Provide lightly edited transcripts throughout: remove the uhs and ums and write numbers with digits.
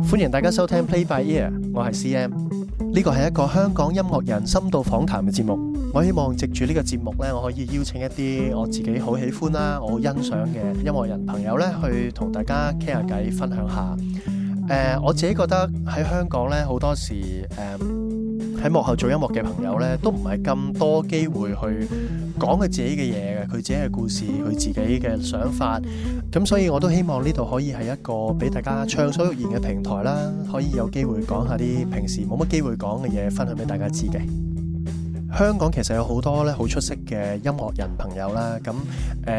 歡迎大家收聽 Play by Ear， 我係 CM。呢個係一個香港音樂人深度訪談嘅節目。我希望藉住呢個節目呢，我可以邀請一啲我自己好喜歡啦、我好欣賞嘅音樂人朋友呢，去同大家傾下偈，分享下。我自己覺得喺香港呢，好多時喺幕後做音樂嘅朋友呢，都唔係咁多機會去講佢自己嘅嘢嘅，佢自己嘅故事，佢自己嘅想法。咁所以我都希望呢度可以係一個俾大家暢所欲言嘅平台啦，可以有機會講下啲平時冇乜機會講嘅嘢，分享俾大家知嘅。香港其實有好多咧好出色嘅音樂人朋友啦，咁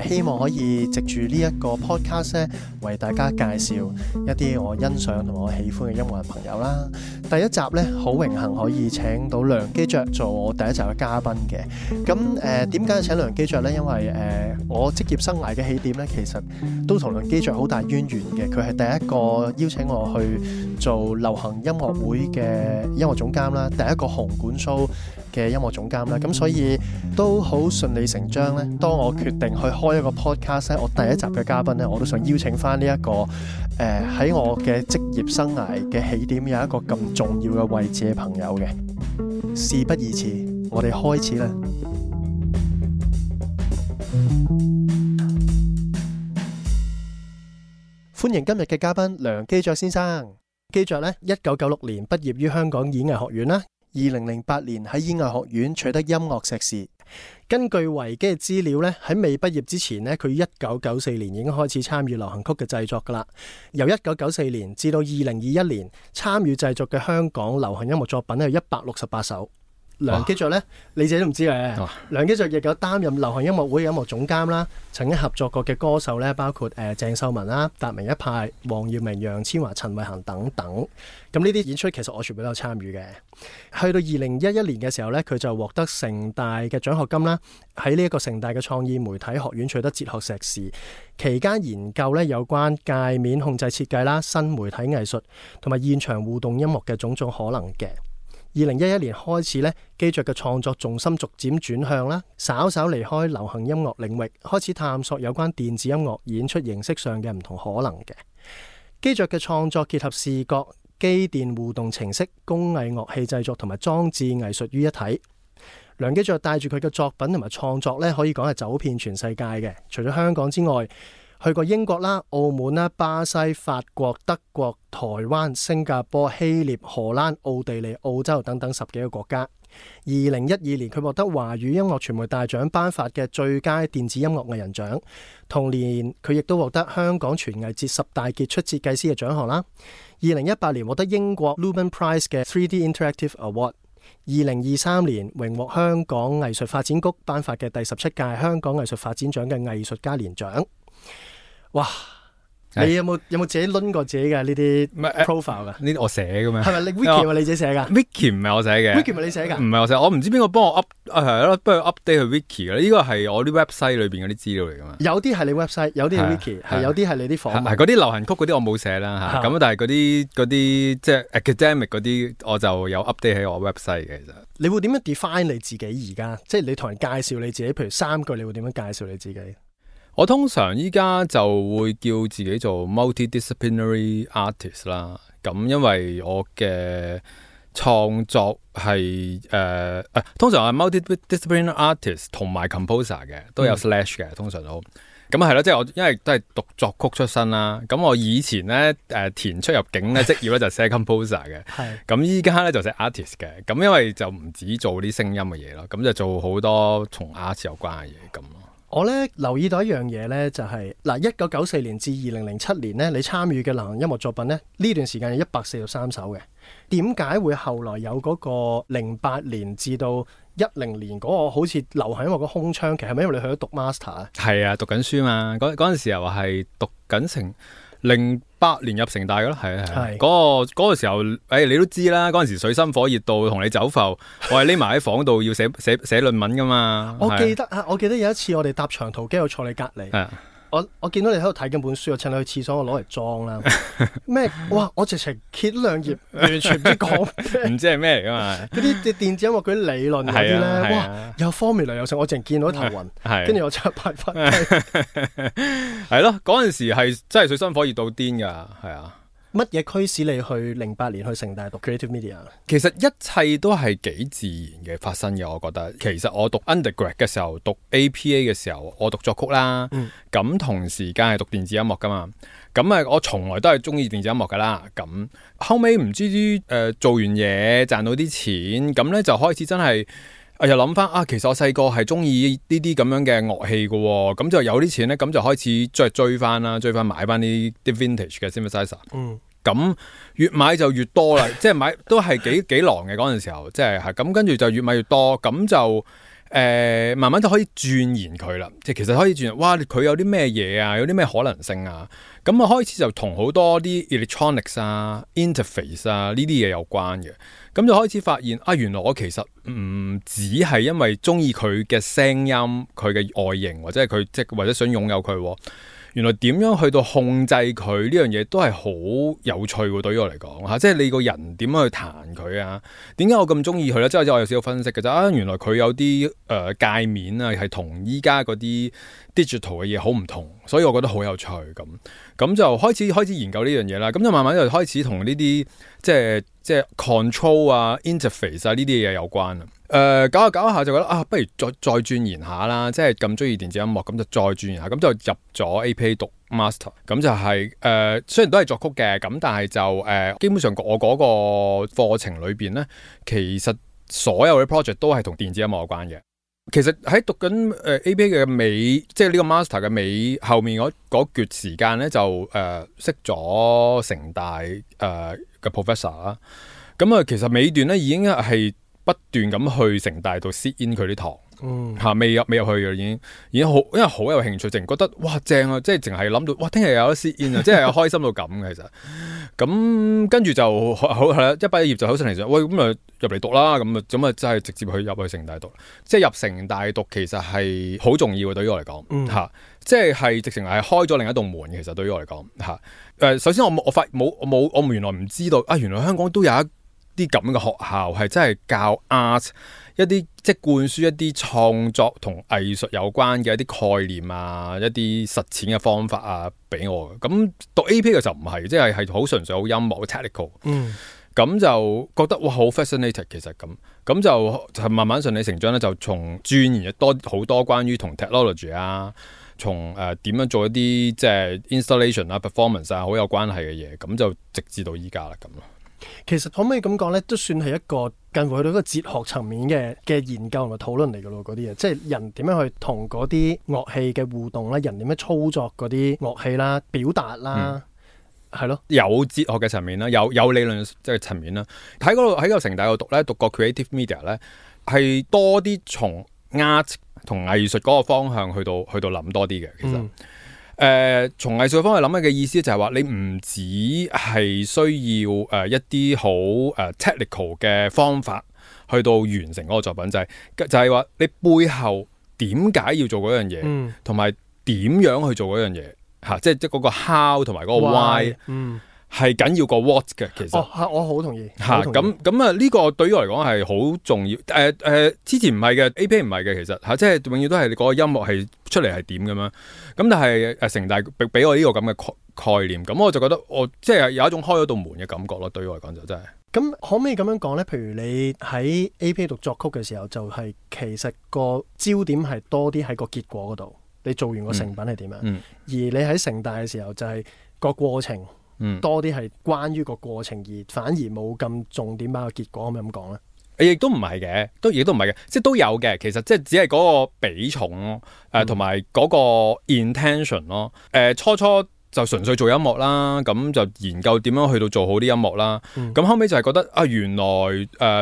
希望可以藉住呢一個 podcast 咧，為大家介紹一啲我欣賞同我喜歡嘅音樂人朋友啦。第一集咧，好榮幸可以請到梁基爵做我第一集嘅嘉賓嘅。咁點解要請梁基爵呢？因為我職業生涯嘅起點咧，其實都同梁基爵好大淵源嘅。佢係第一個邀請我去做流行音樂會嘅音樂總監啦，第一個紅館 show 嘅音樂總監啦，咁所以都好順理成章咧。當我決定去開一個 podcast 咧，我第一集嘅嘉賓咧，我都想邀請翻呢一個喺我嘅職業生涯嘅起點有一個咁重要嘅位置嘅朋友嘅。事不宜遲，我哋開始啦。歡迎今日嘅嘉賓梁基爵先生。基爵咧，1996年畢業於香港演藝學院啦。2008年喺演藝學院取得音樂碩士。根據維基嘅資料咧，喺未畢業之前咧，佢1994年已經開始參與流行曲嘅製作噶啦。由1994年至到2021年，參與製作嘅香港流行音樂作品係168首。梁基爵咧，你自己都唔知嘅。梁基爵亦有擔任流行音樂會嘅音樂總監啦，曾經合作過嘅歌手咧，包括鄭秀文啦、達明一派、黃耀明、楊千嬅、陳慧嫻等等。咁呢啲演出其實我全部都有參與嘅。去到2011年嘅時候咧，佢就獲得城大嘅獎學金啦，喺呢一個城大嘅創意媒體學院取得哲學碩士，期間研究咧有關界面控制設計啦、新媒體藝術同埋現場互動音樂嘅種種可能嘅。2011年開始咧，基爵嘅創作重心逐漸轉向啦，稍稍離開流行音樂領域，開始探索有關電子音樂演出形式上嘅唔同可能嘅。基爵嘅創作結合視覺、機電互動程式、工藝樂器製作同埋裝置藝術於一體。梁基爵帶住佢嘅作品同埋創作咧，可以講係走遍全世界嘅。除咗香港之外，去過英國啦、澳門啦、巴西、法國、德國、台灣、新加坡、希臘、荷蘭、奧地利、澳洲等等10幾個國家。2012年佢獲得華語音樂傳媒大獎頒發嘅最佳電子音樂藝人獎。同年佢亦都獲得香港傳藝節10大傑出設計師嘅獎項啦。2018年獲得英國 Lumen Prize 嘅 3D Interactive Award。2023年榮獲香港藝術發展局頒發嘅第17屆香港藝術發展獎嘅藝術家年獎。哇！你有冇自己攆過自己嘅呢啲 profile 噶？呢啲我寫嘅咩？係咪你 Wiki 係你自己寫噶？Wiki 唔係我寫嘅。Wiki 咪你寫噶？唔係我寫，我唔知邊個幫我 係咯，不如 update 去 Wiki 嘅。呢個係我啲 website 裏邊嗰啲資料嚟噶嘛？有啲係你 website， 有啲係 Wiki， 係有啲係你啲訪問。係嗰啲流行曲嗰啲我冇寫啦嚇。咁但係嗰啲即係 academic 嗰啲，我就有 update 喺我 website 嘅。其實你會點樣 define 你自己而家？即係你同人介紹你自己，譬如3句，你會點樣介紹你自己？我通常依家就會叫自己做 multidisciplinary artist 啦，咁因為我嘅創作係通常係 multidisciplinary artist 同埋 composer 嘅，都有 slash 嘅，通常都咁係咯，即係我因為都係讀作曲出身啦，咁我以前咧填出入境咧職業咧就寫 composer 嘅，咁依家咧就寫 artist 嘅，咁因為就唔止做啲聲音嘅嘢咯，咁就做好多同 art 有關嘅嘢咁咯。我咧留意到一樣嘢咧，就係1994年至2007年咧，你參與嘅流行音樂作品咧，呢段時間有143首嘅。點解會後來有嗰個08年至到10年嗰個好似流行音樂個空窗期？係咪因為你去咗讀 master 啊？係啊，讀緊書嘛。嗰陣時候係讀緊成08年入城大嘅咯，係嗰個時候，你都知啦。嗰陣時水深火熱到同你走埠，我係匿埋喺房度要寫論文噶嘛。我記得有一次我哋搭長途機，我坐你隔離。我見到你喺度睇緊本書，我趁你去廁所，我攞嚟裝啦。咩？哇！我直情揭兩頁，完全唔知講咩，唔知係咩嚟噶嘛？嗰啲電子音樂嗰啲理論嗰啲咧，哇！有 formula 有成，我淨見到頭暈，跟住我即刻拍翻。係咯，嗰陣時係真係水深火熱到癲噶，係啊。乜嘢驅使你去08年去城大讀 Creative Media？ 其實一切都係幾自然嘅發生嘅，我覺得。其實我讀 undergrad 嘅時候，讀 APA 嘅時候，我讀作曲啦，咁同時間係讀電子音樂噶嘛。咁啊，我從來都係中意電子音樂噶啦。咁後尾唔知做完嘢賺到啲錢，咁咧就開始真係。又諗翻其實我細個係中意呢啲咁樣嘅樂器嘅喎，咁就有啲錢咧，咁就開始追翻買翻啲 vintage 嘅 synthesizer。咁越買就越多啦，即係買都係幾狼嘅嗰陣時候，即係咁跟住就越買越多，咁就慢慢就可以鑽研佢啦。即係其實可以鑽研，哇！佢有啲咩嘢啊，有啲咩可能性啊？咁啊開始就同好多啲 electronics 啊、interface 啊呢啲嘢有關嘅。咁就開始發現原來我其實唔只係因為中意佢嘅聲音、佢嘅外形，或者係佢或者想擁有佢。原來點樣去到控制佢呢樣嘢都係好有趣喎，對於我嚟講嚇，即係你個人點樣去彈佢啊？點解我咁中意佢咧？即係我有少少分析嘅啫。原來佢有啲界面啊，係同依家嗰啲 digital 嘅嘢好唔同，所以我覺得好有趣咁就開始研究呢樣嘢啦。咁就慢慢就開始同呢啲即係 control 啊、interface 啊呢啲嘢有關啊。搞下就覺得不如再鑽研下啦，即係咁中意電子音樂，咁就再鑽研下，咁就入咗 APA 讀 master， 咁就係雖然都係作曲嘅，咁但係就基本上我嗰個課程裏邊咧，其實所有嘅 project 都係同電子音樂有關嘅。其實喺讀緊APA 嘅尾，即係呢個 master 嘅尾後面嗰段時間咧，就識咗城大嘅 professor 啦。咁其實尾段咧已經係不斷咁去城大度 sit in 佢啲堂，未入去嘅已經好，因為好有興趣，淨覺得哇正啊！即係淨係諗到哇，聽日有得 sit in 啊，即係開心到咁嘅其實。咁跟住就好係啦，一畢業就好順利，喂咁啊入嚟讀啦，咁啊真係直接入去城大讀，即係入城大讀其實係好重要嘅，對於我嚟講即係直情係開咗另一道門。其實對於我嚟講首先我原來唔知道原來香港都有一啲咁嘅學校係真係教 art 一啲即係灌輸一啲創作同藝術有關嘅一啲概念啊，一啲實踐嘅方法啊俾我。咁讀 AP 嘅時候唔係，即係好純粹好音樂 technical。咁就覺得哇好 fascinated 其實咁就慢慢順理成章咧，就從鑽研好多關於同 technology 啊，從點樣做一啲即係 installation 啊 performance 啊好有關係嘅嘢，咁就直至到依家啦咁咯。其實可唔可以咁講咧，都算係一個近乎去到一個哲學層面嘅研究同埋討論嚟噶咯，嗰啲嘢，即係人點樣去同嗰啲樂器嘅互動啦，人點樣操作嗰啲樂器啦，表達啦，係咯，有哲學嘅層面啦，有理論即係層面啦。喺個城大度讀咧，讀過 creative media 咧，係多啲從 art 同藝術嗰個方向去到諗多啲嘅，其實。從藝術方面諗嘅意思就係話，你唔止係需要一啲好technical 嘅方法去到完成嗰個作品，就係話你背後點解要做嗰樣嘢，同埋點樣去做嗰樣嘢即係嗰個 how 同埋嗰個 why。係緊要過 what 嘅，其實我好同意咁呢個對於我嚟講係好重要。之前唔係嘅 ，AP 唔係嘅，其實即係永遠都係你嗰個音樂係出嚟係點咁樣。咁但係城大俾我呢個咁嘅概念，咁我就覺得我即係有一種開咗道門嘅感覺咯。對於我嚟講就真係。咁可唔可以咁樣講咧？譬如你喺 AP 讀作曲嘅時候，就係其實個焦點係多啲喺個結果嗰度，你做完個成品係點樣？而你喺城大嘅時候就係個過程。多啲係關於個過程，而反而冇咁重點把個結果，可唔可以咁講咧？亦都唔係嘅，亦都唔係嘅，即係都有嘅。其實即係只係嗰個比重咯，同埋嗰個 intention 咯。初就純粹做音樂啦，咁就研究點樣去到做好啲音樂啦。咁後尾就係覺得原來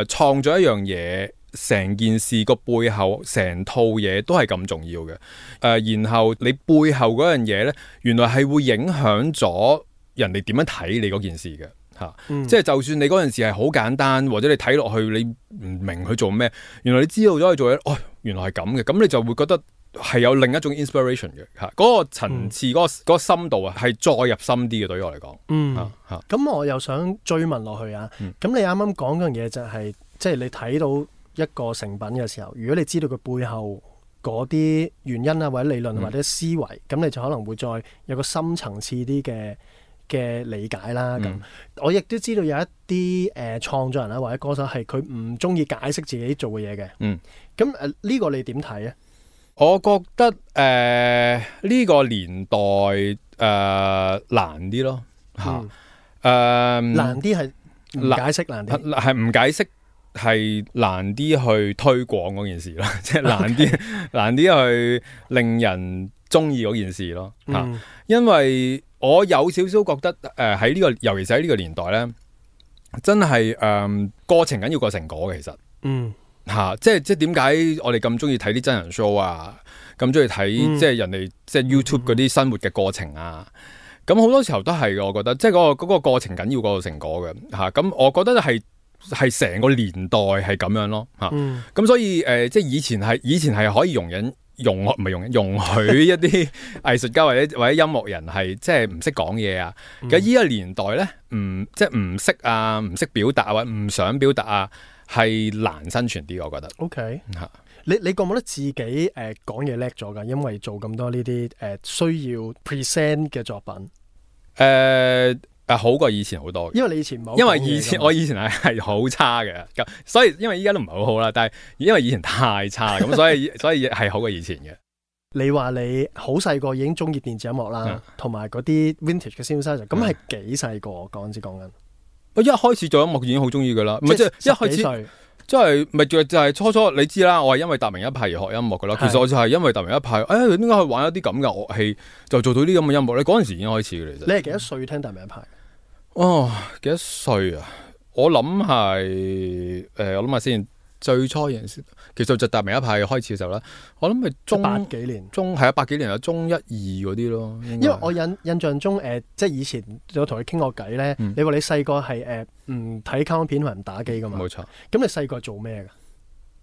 創作一樣嘢，成件事個背後成套嘢都係咁重要嘅。然後你背後嗰樣嘢咧，原來係會影響咗人哋點樣睇你嗰件事嘅即係就算你嗰件事係好簡單，或者你睇落去你唔明佢做咩，原來你知道咗佢做嘢，原來係咁嘅，咁你就會覺得係有另一種 inspiration 嘅嗰個層次，嗰個深度係再入深啲嘅，對於我嚟講。咁我又想追問落去啊。咁你啱啱講嗰樣嘢就係，即係你睇到一個成品嘅時候，如果你知道佢背後嗰啲原因啊，或者理論或者思維，咁你就可能會再有個深層次啲嘅理解啦。咁我亦都知道有一啲創作人啦或者歌手係佢唔中意解釋自己做嘅嘢嘅。咁呢個你點睇啊？我覺得呢個年代難啲咯嚇。難啲係唔解釋難啲，係唔解釋係難啲去推廣嗰件事咯，即係難啲去令人中意嗰件事咯嚇。因為我有少少覺得喺呢個，尤其是喺呢個年代咧，真係過程緊要過成果嘅，其實即係點解我哋咁中意睇啲真人 show 啊，咁中意睇即係人哋即係 YouTube 嗰啲生活嘅過程啊。咁好多時候都係嘅，我覺得即係嗰個過程緊要過個成果嘅嚇。咁我覺得係成個年代係咁樣咯嚇。咁所以即係以前係可以容許一啲藝術家或者音樂人係即係唔識講嘢啊。咁依個年代咧，即係唔識啊，唔識表達或者唔想表達啊，係難生存啲，我覺得。OK 嚇。你覺唔覺得自己講嘢叻咗㗎？因為做咁多呢啲需要 present 嘅作品，好過以前好多。因為你以前冇，因為我以前係好差嘅，咁所以因為依家都唔係好好啦。但係因為以前太差，咁所以係好過以前嘅。你話你好細個已經中意電子音樂啦，同埋嗰啲 vintage 嘅 synthesizer，咁係幾細個？講緊我一開始做音樂已經好中意㗎啦，唔係即係一開始。即係咪就係初初你知啦，我係因為達明一派而學音樂噶啦。其實我就係因為達明一派，點解去玩一啲咁嘅樂器，就做到啲咁嘅音樂咧？嗰陣時已經開始嘅。其實你係幾多歲聽達明一派？幾多歲啊？我諗係我諗下先。最初嗰陣時，其實就達明一派開始嘅時候咧，我諗係中80幾年，係啊80幾年啊，中1、2嗰啲咯。因為我印象中即係以前有同你傾過偈咧，你話你細個係唔睇卡通片同埋唔打機噶嘛？冇錯。咁你細個做咩噶？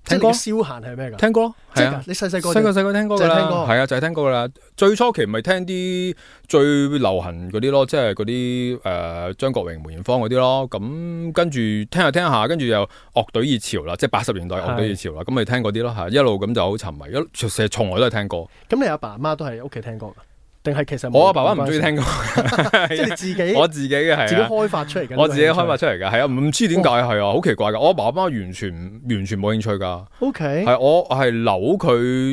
聽歌。消閒係咩噶？聽歌。係啊。你細個聽歌噶啦。係啊，就係聽歌噶啦。最初期咪聽啲最流行嗰啲咯，即係嗰啲張國榮、梅艷芳嗰啲咯。咁跟住聽下，跟住又樂隊熱潮啦，即係80年代樂隊熱潮啦。咁咪聽嗰啲咯嚇，一路咁就好沉迷，成日從來都係聽歌。咁你阿爸阿媽都係屋企聽歌㗎？定係其實我阿爸爸唔中意聽歌，即係你自己我自己嘅係自己開發出嚟嘅。我自己開發出嚟嘅係啊，唔知點解係啊，好奇怪㗎。我阿爸阿媽完全冇興趣㗎。OK，係我係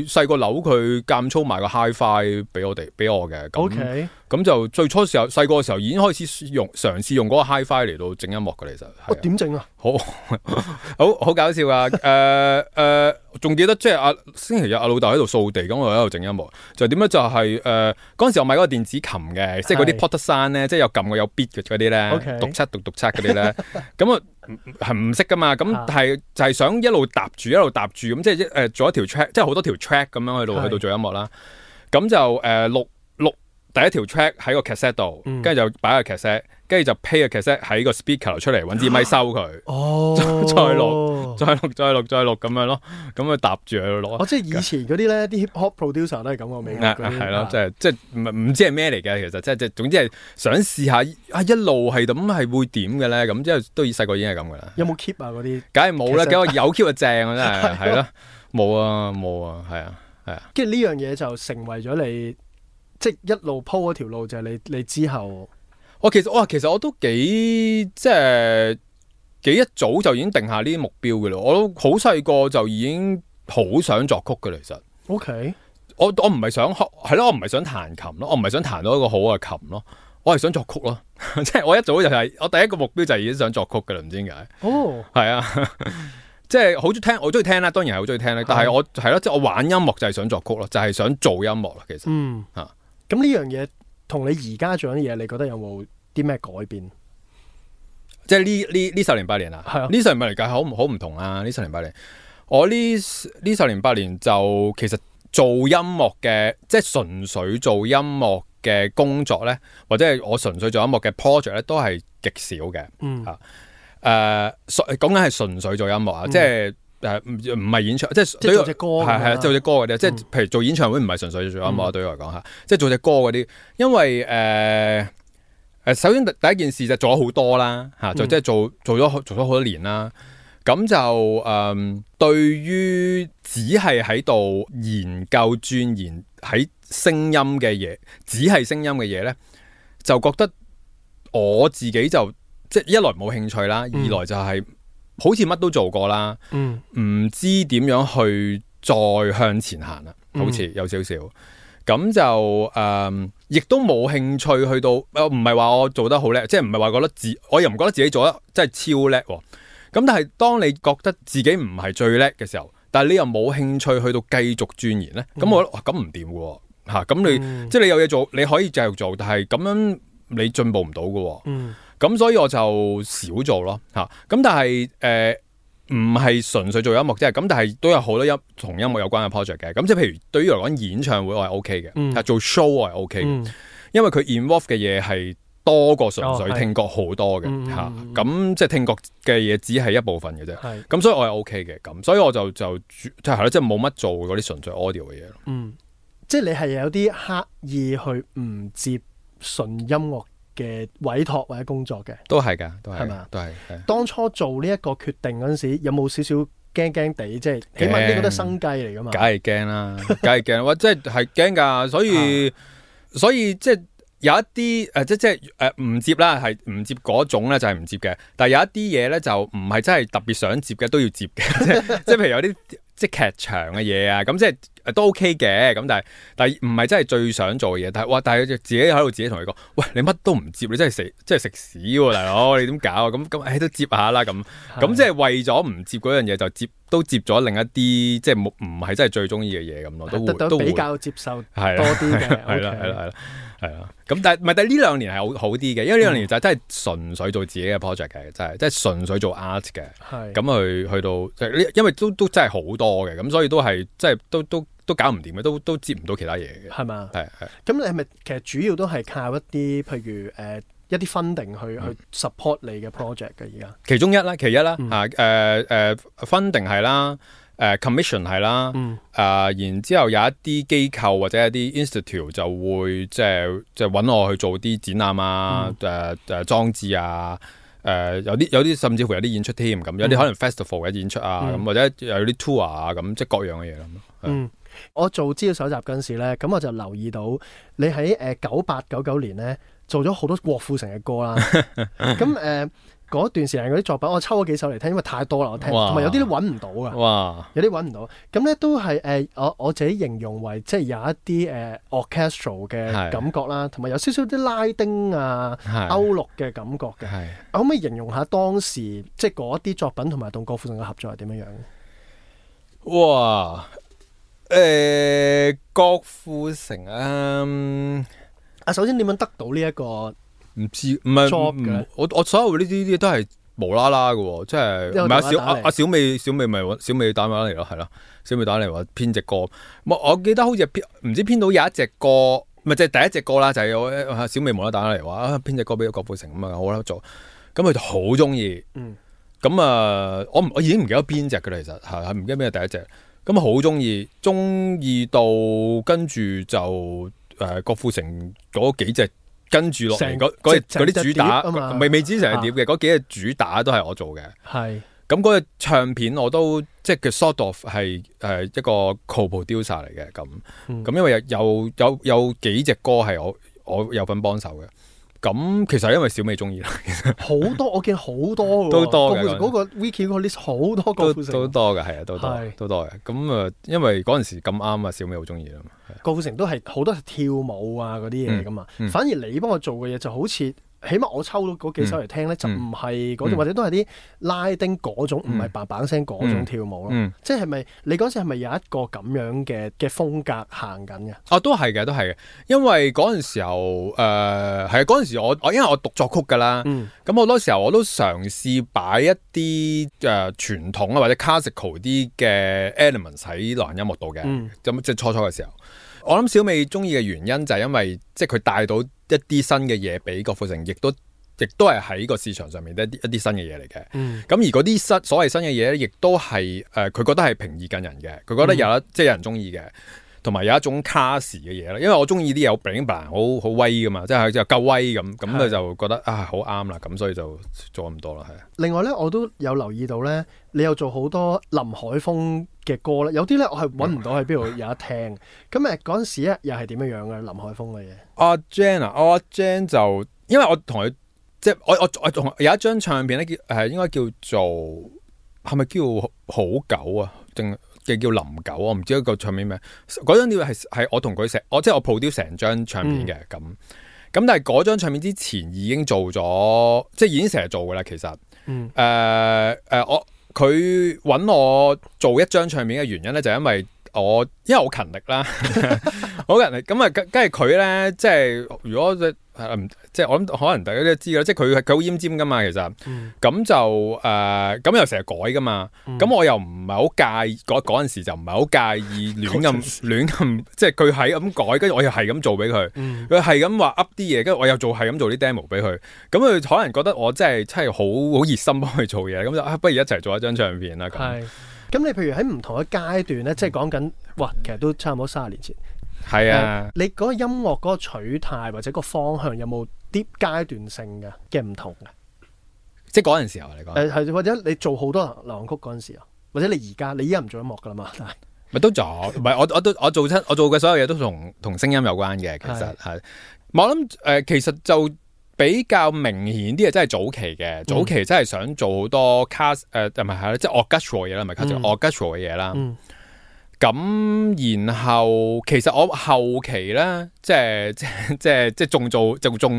細個扭佢間操埋個 HiFi 俾我嘅。OK，咁就最初時候細個嘅時候已經開始嘗試用嗰個 HiFi 嚟到整音樂嘅。其實點整啊？好搞笑㗎。仲記得即係星期日阿老豆喺度掃地，咁我喺度整音樂。就點咧？就係嗰陣時我買嗰個電子琴嘅，即係嗰啲 Porter Sound 咧，即係有撳過有 beat 嘅嗰啲咧，讀七嗰啲咧。咁啊係唔識噶嘛？咁係就係想一路搭住咁，即係做一條 track，即係好多條 track 咁樣去到做音樂啦。咁就錄第一條 track 喺個 cassette 度，跟住就擺個 cassette，跟住就 play 個 cassette 喺個 speaker 度出嚟，揾支咪收佢，再錄咁樣咯，咁佢搭住喺度錄。即係以前嗰啲咧，啲 hip hop producer 都係咁嘅味。係咯，即係唔知係咩嚟嘅，其實即係總之係想試下一路係咁係會點嘅咧，咁即係都細個已經係咁噶啦。有冇 keep 啊嗰啲？梗係冇啦，有 keep 就正啊，真係係咯，冇啊，係啊。跟住呢樣嘢就成為咗你。即係一路鋪嗰條路就係你之後，其實我都幾一早就已經定下呢啲目標嘅啦。我都好細個就已經好想作曲嘅，其實。OK，我唔係想係咯，我唔係想彈琴咯，我唔係想彈到一個好嘅琴咯，我係想作曲咯。即係我一早就係我第一個目標就係已經想作曲嘅啦，唔知點解。係啊，即係好中意聽，我中意聽啦，當然係好中意聽啦。但係我係咯，即係我玩音樂就係想作曲咯，就係想做音樂啦。其實，咁呢樣嘢同你而家做緊嘢，你覺得有冇啲咩改變？即係呢10年8年啊，係啊，呢10年8年計好唔同啊！呢10年8年，我呢10年8年就其實做音樂嘅，即係純粹做音樂嘅工作咧，或者係我純粹做音樂嘅 project 咧，都係極少嘅。講緊係純粹做音樂啊，即係。唔係演唱，即係做隻歌，係做隻歌嗰啲，即係譬如做演唱會唔係純粹做音樂，對我嚟講嚇，即係做隻歌嗰啲，因為首先第一件事就做咗好多啦嚇，就即係做咗好多年啦，咁就對於只係喺度研究鑽研喺聲音嘅嘢，只係聲音嘅嘢咧，就覺得我自己就即係一來冇興趣啦，二來就係好似乜都做過啦，唔知點樣去再向前行啦，好似有少少。咁就亦都冇興趣去到，唔係話我做得好叻，即係唔係話覺得我又唔覺得自己做得真係超叻。咁但係當你覺得自己唔係最叻嘅時候，但係你又冇興趣去到繼續鑽研咧，咁我覺得咁唔掂嘅嚇。咁你即係你有嘢做，你可以繼續做，但係咁樣你進步唔到嘅。咁所以我就少做咯嚇。咁但係唔係純粹做音樂啫，咁但係都有好多同音樂有關嘅 project 嘅。咁即係譬如對於嚟講演唱會我係 OK 嘅，做 show 我係 OK 嘅，因為佢 involve 嘅嘢係多過純粹聽覺好多嘅嚇。咁即係聽覺嘅嘢只係一部分嘅啫。咁所以我係 OK 嘅。咁所以我就即係咯，即係冇乜做嗰啲純粹 audio 嘅嘢咯。即係你係有啲刻意去唔接純音樂嘅委託或者工作嘅，都係㗎，都係，係嘛？都係。當初做呢一個決定嗰陣時，有冇少少驚驚地？即係起碼呢個都係生計嚟㗎嘛。梗係驚啦，梗係驚，哇！即係驚㗎，所以即係有一啲即係唔接啦，係唔接嗰種咧就係唔接嘅。但係有一啲嘢咧就唔係真係特別想接嘅都要接嘅，即係譬如有啲即係劇場嘅嘢啊，咁即係。都 OK 嘅，咁但係唔係真係最想做嘅嘢，但係自己喺度自己同佢講，喂，你乜都唔接，你真係食屎喎，大佬，你點搞啊？咁都接下啦，咁即係為咗唔接嗰樣嘢，就都接咗另一啲即係唔係真係最中意嘅嘢咁咯，都比較接受多啲嘅，係啦。咁但係呢兩年係好啲嘅，因為呢兩年就真係純粹做自己嘅 project 嘅，真係即係純粹做 art 嘅，咁去到因為都真係好多嘅，咁所以都係即係都搞唔掂嘅，都接唔到其他嘢嘅，係嘛？係。咁你係咪其實主要都係靠一啲譬如一啲 funding 去 support 你嘅 project 嘅而家？其中一啦，其一啦funding 係啦，commission 係啦，然之後有一啲機構或者一啲 institute 就會即係揾我去做啲展覽啊，裝置啊。有啲甚至乎有啲演出添，咁有啲可能 festival 嘅演出啊，咁或者有啲 tour 啊，咁即係各樣嘅嘢咁。我做資料搜集嗰陣時咧，咁我就留意到你喺98、99年咧做咗好多郭富城嘅歌啦。咁嗰段時間嗰啲作品，我抽咗幾首嚟聽，因為太多啦，我聽，同埋有啲都揾唔到噶。哇！有啲揾唔到，咁咧都係我自己形容為即係有一啲orchestral 嘅感覺啦，同埋有少少啲拉丁啊、歐陸嘅感覺嘅。可唔可以形容下當時即係嗰啲作品同埋同郭富城嘅合作係點樣樣？哇！郭富城首先點樣得到呢一個？唔知，唔係我所有呢啲都係無啦啦嘅，即係唔係小美咪小美打電話嚟咯，係咯，小美打嚟話編隻歌，我記得好似唔知編到有一隻歌，咪即係第一隻歌啦，就係小美無啦啦打嚟話編隻歌俾郭富城咁啊，好啦做，咁佢就好中意，咁我已經唔記得邊隻嘅啦，其實係唔記得邊係第一隻，咁好中意到跟住就郭富城嗰幾隻。跟住落嚟嗰啲主打，未知成日碟嘅嗰幾隻主打都係我做嘅。係咁嗰個唱片我都即係佢 sort of 係一個 co-producer 嚟嘅咁。咁因為有幾隻歌係我有份幫手嘅。咁其實因為小美中意啦，其實好多我見好多嘅，都多嘅嗰個 wiki 個 list 好多郭富城都多嘅，係啊，都多嘅。咁因為嗰陣時咁啱啊，小美好中意啦嘛。郭富城都係好多係跳舞啊嗰啲嘢噶嘛，反而你幫我做嘅嘢就好似。起碼我抽到嗰幾首嚟聽咧，就唔係嗰種，或者都係啲拉丁嗰種，唔係嘭嘭聲嗰種跳舞咯。即係咪你嗰時係咪有一個咁樣嘅風格行緊嘅？哦，都係嘅，因為嗰陣時候係嗰陣時我因為我讀作曲㗎啦，咁好多時候我都嘗試擺一啲傳統啊或者 classical 啲嘅 elements 喺流行音樂度嘅，咁即係初嘅時候。我諗小美中意嘅原因就係因為即係佢帶到一啲新嘅嘢俾郭富城，亦都係喺個市場上面一啲新嘅嘢嚟嘅。咁而嗰啲所謂新嘅嘢咧，亦都係佢覺得係平易近人嘅，佢覺得即係有人中意嘅，同埋有一種 class 嘅嘢啦。因為我中意啲嘢好 bling bling 好威噶嘛，即係夠威咁佢就覺得好啱啦，咁所以就做咁多啦。係。另外咧，我都有留意到咧，你有做好多林海峰嘅歌咧，有啲咧我係揾唔到喺邊度有得聽。咁嗰陣時咧又係點樣嘅林海峰嘅嘢？阿 Jan 就因為我同佢即係我仲有一張唱片咧，應該叫做係咪叫好狗啊？定叫林狗？我唔知一個唱片名。嗰張碟係我同佢即係我 produce 成張唱片嘅咁。但係嗰張唱片之前已經做咗，即係已經成日做噶啦。其實，佢揾我做一張唱片嘅原因咧，就係因為我勤力啦，好勤力。咁啊，跟住佢咧，即係如果即係我諗，可能大家都知啦，即係佢好奄尖噶嘛，其實，咁就咁又成日改噶嘛，咁我又唔係好介意嗰陣時就唔係好介意亂咁，即係佢係咁改，跟住我又係咁做俾佢，佢係咁話 up 啲嘢，跟住我又係咁做啲 demo 俾佢，咁佢可能覺得我真係好熱心幫佢做嘢，咁就不如一齊做一張唱片啦。係，咁你譬如喺唔同嘅階段咧，即係講緊，哇，其實都差唔多30年前。係啊，你嗰個音樂嗰個取態或者個方向有冇啲階段性嘅唔同嘅？即係嗰陣時候嚟講，係或者你做好多流行曲嗰陣時候，或者你依家唔做音樂噶啦嘛？咪都做，唔係我做嘅所有嘢都同聲音有關嘅，其實係。我諗其實就比較明顯啲嘅，真係早期嘅，早期真係想做好多cast 唔係即係 orchestral 嘢啦，唔係 orchestral 嘅嘢啦。咁然後其實我後期咧，即係仲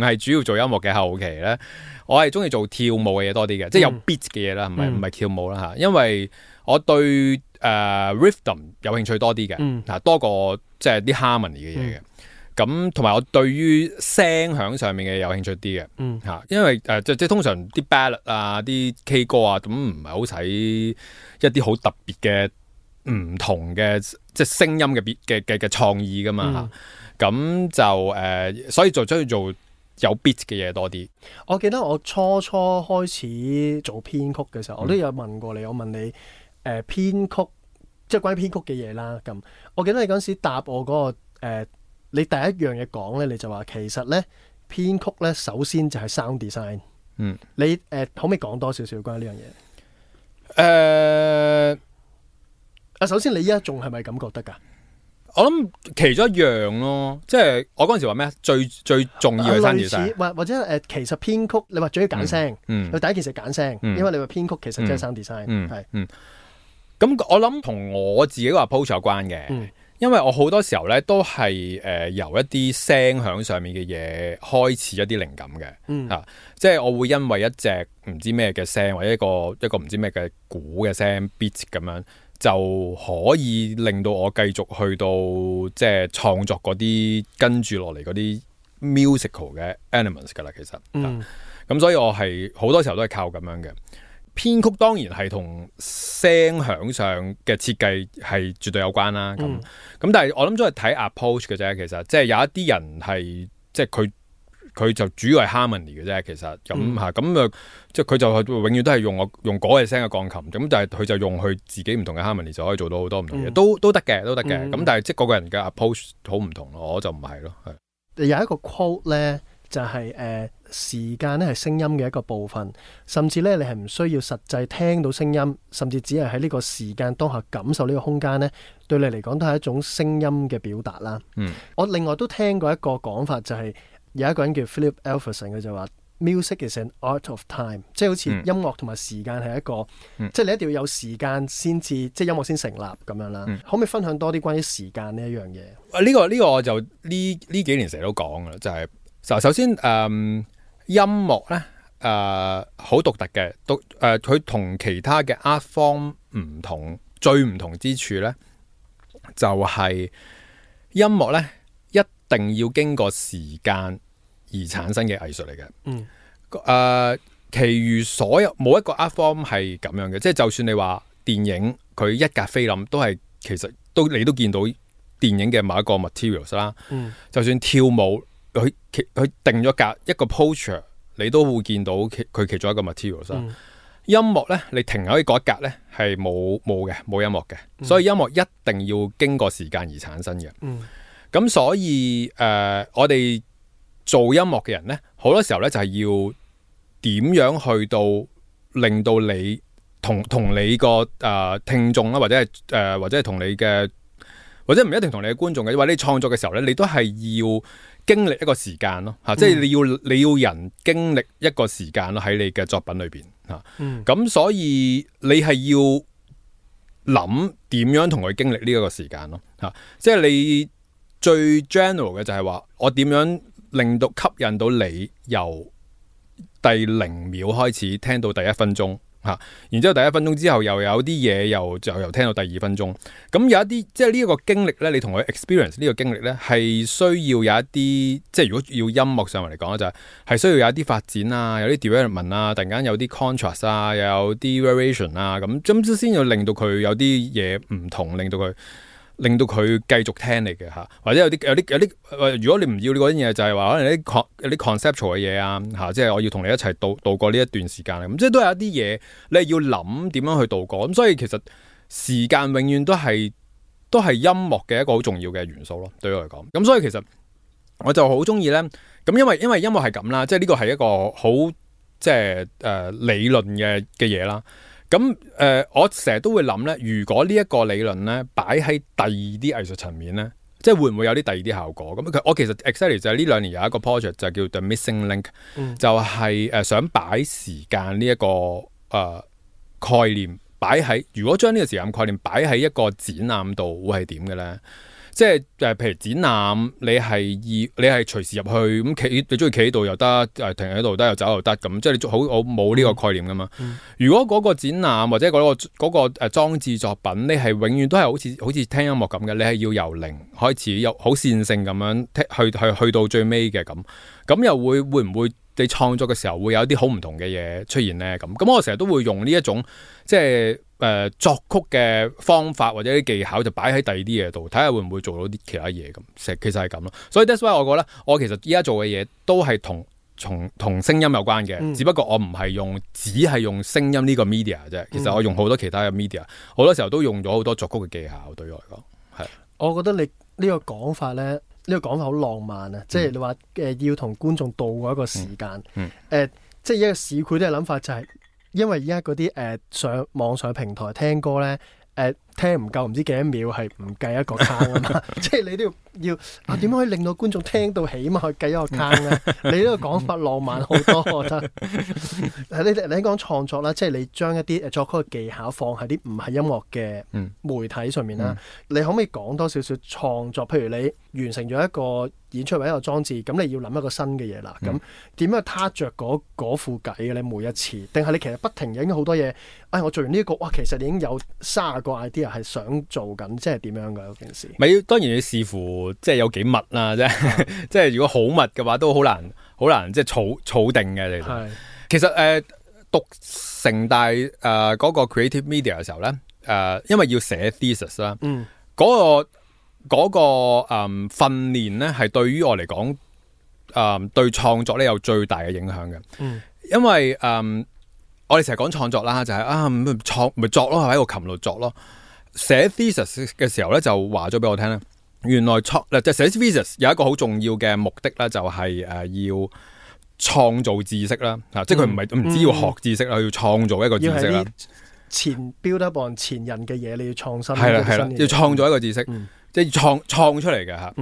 係主要做音樂嘅後期咧，我係中意做跳舞嘅嘢多啲嘅，即係有 beat 嘅嘢啦，唔係跳舞啦嚇，因為我對rhythm 有興趣多啲嘅，多過即係啲 harmony 嘅嘢嘅。咁同埋我對於聲響上面嘅有興趣啲嘅，因為即係通常啲 ballad 啊、啲 K 歌啊，咁唔係好使一啲好特別嘅唔同嘅即係聲音嘅創意噶嘛，咁就所以就中意做有 beat 嘅嘢多啲。我記得我初開始做編曲嘅時候，我都有問過你，我問你編曲即係關於編曲嘅嘢啦。咁我記得你嗰陣時答我嗰個你第一樣嘢講咧，你就話其實咧編曲咧首先就係 sound design。你可唔可以講多少少關於呢樣嘢？首先你依家仲係咪咁覺得㗎？我諗其中一樣咯，即係我嗰陣時話咩？最重要嘅 sound design，或者其實編曲你話最要揀聲，佢第一件事揀聲，因為你話編曲其實即係 sound design。咁我諗同我自己個 approach 有關嘅。因為我好多時候咧都係由一啲聲響上面嘅嘢開始一啲靈感嘅，即係我會因為一隻唔知咩嘅聲或者一個唔知咩嘅鼓嘅聲 beat 咁樣，就可以令到我繼續去到即係創作嗰啲跟住落嚟嗰啲 musical 嘅 elements 噶啦，其實，咁所以我係好多時候都係靠咁樣嘅。編曲當然係同聲響上嘅設計係絕對有關啦，咁但係我諗都係睇 approach 嘅啫，其實即係有一啲人係即係佢就主要係 harmony 嘅啫，其實咁即係佢就永遠都係用嗰個聲嘅鋼琴，咁但係佢就用佢自己唔同嘅 harmony 就可以做到好多唔同嘢，都得嘅，咁但係即係個個人嘅 approach 好唔同咯，我就唔係咯。有一個 quote 咧就係時間咧係聲音嘅一個部分，甚至咧你係唔需要實際聽到聲音，甚至只係喺呢個時間當下感受呢個空間咧，對你嚟講都係一種聲音嘅表達啦。我另外都聽過一個講法，就係有一個人叫 Philip Alverson， 佢就話 Music is an art of time， 即係好似音樂同埋時間係一個，即係你一定要有時間先至，即係音樂先成立咁樣啦。可唔可以分享多啲關於時間呢一樣嘢？呢個我就呢幾年成日都講噶啦，就係首先音樂咧好獨特嘅，佢同其他嘅 art form 唔同，最唔同之處咧就係音樂咧一定要經過時間而產生嘅藝術嚟嘅。其餘所有冇一個 art form 係咁樣嘅，即係就算你話電影佢一格菲林都係其實你都見到電影嘅某一個 materials 啦。就算跳舞佢定咗格一個 posture， 你都會見到佢其中一個 materials 啦。音樂咧，你停喺嗰一格咧係冇音樂嘅，所以音樂一定要經過時間而產生嘅。咁所以我哋做音樂嘅人咧，好多時候咧就係要點樣去到令到你同你個聽眾啦，或者係同你嘅或者唔一定同你嘅觀眾嘅，因為你創作嘅時候咧，你都係要經歷一個時間咯嚇，即係你要人經歷一個時間咯喺你嘅作品裏邊嚇。咁所以你係要諗點樣同佢經歷呢一個時間咯嚇，即係你最 general 嘅就係話我點樣令到吸引到你由第0秒開始聽到第1分鐘嚇，然之後第1分鐘之後又有啲嘢又聽到第2分鐘，咁有一啲即係呢一個經歷咧，你同佢 experience 呢個經歷咧係需要有一啲，即係如果要音樂上嚟講就係需要有一啲發展啊，有啲 development 啊，突然間有啲 contrast 啊，又有啲 variation 啊，咁先要令到佢有啲嘢唔同，令到佢繼續聽你嘅嚇，或者有啲如果你唔要嗰啲嘢，就係話可能有啲 conceptual 嘅嘢啊嚇，即係我要同你一齊度過呢一段時間咁，即係都有一啲嘢你係要諗點樣去度過，咁所以其實時間永遠都係音樂嘅一個好重要嘅元素咯，對我嚟講。咁所以其實我就好中意咧，咁因為音樂係咁啦，即係呢個係一個好即係理論嘅嘢啦。咁我成日都會諗咧，如果呢一個理論咧擺喺第二啲藝術層面咧，即係會唔會有啲第二啲效果？咁我其實 exactly 就係呢2年有一個 project 就叫 The Missing Link，就係想擺時間呢一個概念擺喺，如果將呢個時間概念擺喺一個展覽度，會係點嘅咧？即係譬如展覽，你係隨時入去咁企，你中意企喺度又得，停喺度得又走又得咁，即係你我冇呢個概念噶嘛。如果嗰個展覽或者嗰個裝置作品，你係永遠都係好似聽音樂咁嘅，你係要由零開始，有好線性咁樣去到最尾嘅咁又會唔會你創作嘅時候會有啲好唔同嘅嘢出現咧？咁我成日都會用呢一種即係作曲嘅方法或者啲技巧就擺喺第二啲嘢度，睇下會唔會做到啲其他嘢咁。其實係咁咯。所以 that's why 我覺得我其實依家做嘅嘢都係同聲音有關嘅，只不過我唔係只係用聲音呢個 media 啫。其實我用好多其他嘅 media，好多時候都用咗好多作曲嘅技巧。對我嚟講係，我覺得你呢個講法咧，呢個講法好浪漫啊！即係你話要同觀眾度過一個時間，即係一個市儈啲嘅諗法就係。因為而家嗰啲上網上平台聽歌咧，聽唔夠唔知幾多秒係唔計一個坑啊嘛，即係你都要點樣可以令到觀眾聽到起碼去計一個坑咧？你呢個講法浪漫好多，我覺得。你講創作啦，即係你將一啲作曲嘅技巧放喺啲唔係音樂嘅媒體上面啦。你可唔可以講多少少創作？譬如你完成咗一個演出或者一個裝置，咁你要諗一個新嘅嘢啦。咁點樣撻着嗰副計嘅你每一次？定係你其實不停影好多嘢？我做完呢個，哇！其實你已經有30個 idea 係想做緊，即係點樣㗎嗰件事？咪當然要視乎即係有幾密啦，即係如果好密嘅話，都好難即係儲定嘅。其實讀成大嗰個 creative media 嘅時候咧，因為要寫 thesis 啦，嗰個訓練咧係對於我嚟講，對創作咧有最大嘅影響嘅。因為我哋成日講創作啦，就係咪作咯，喺個琴度作咯。寫 thesis 嘅時候咧，就話咗俾我聽咧，原來即係寫 thesis 有一個好重要嘅目的咧，就係要創造知識啦。即係佢唔止要學知識啦，要創造一個知識啦。前 build up on 前人嘅嘢，你要創新。係啦，要創造一個知識，即係創出嚟嘅嚇。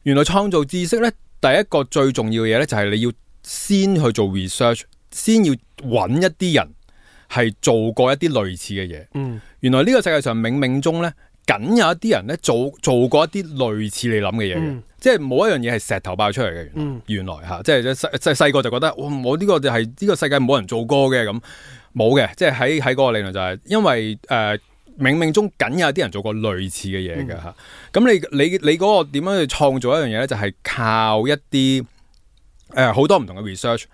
原來創造知識咧，第一個最重要嘅嘢咧，就係你要先去做 research，先要揾一啲人係做過一啲類似嘅嘢。原來呢個世界上冥冥中咧，僅有一啲人咧做過一啲類似你諗嘅嘢嘅，即係冇一樣嘢係石頭爆出嚟嘅。原來嚇，即係細個就覺得，我呢個就係呢個世界冇人做過嘅咁，冇嘅。即係喺嗰個理論就係因為冥冥中僅有啲人做過類似嘅嘢嘅嚇。咁你嗰個點樣去創造一樣嘢咧？就係靠一啲好多唔同嘅 research。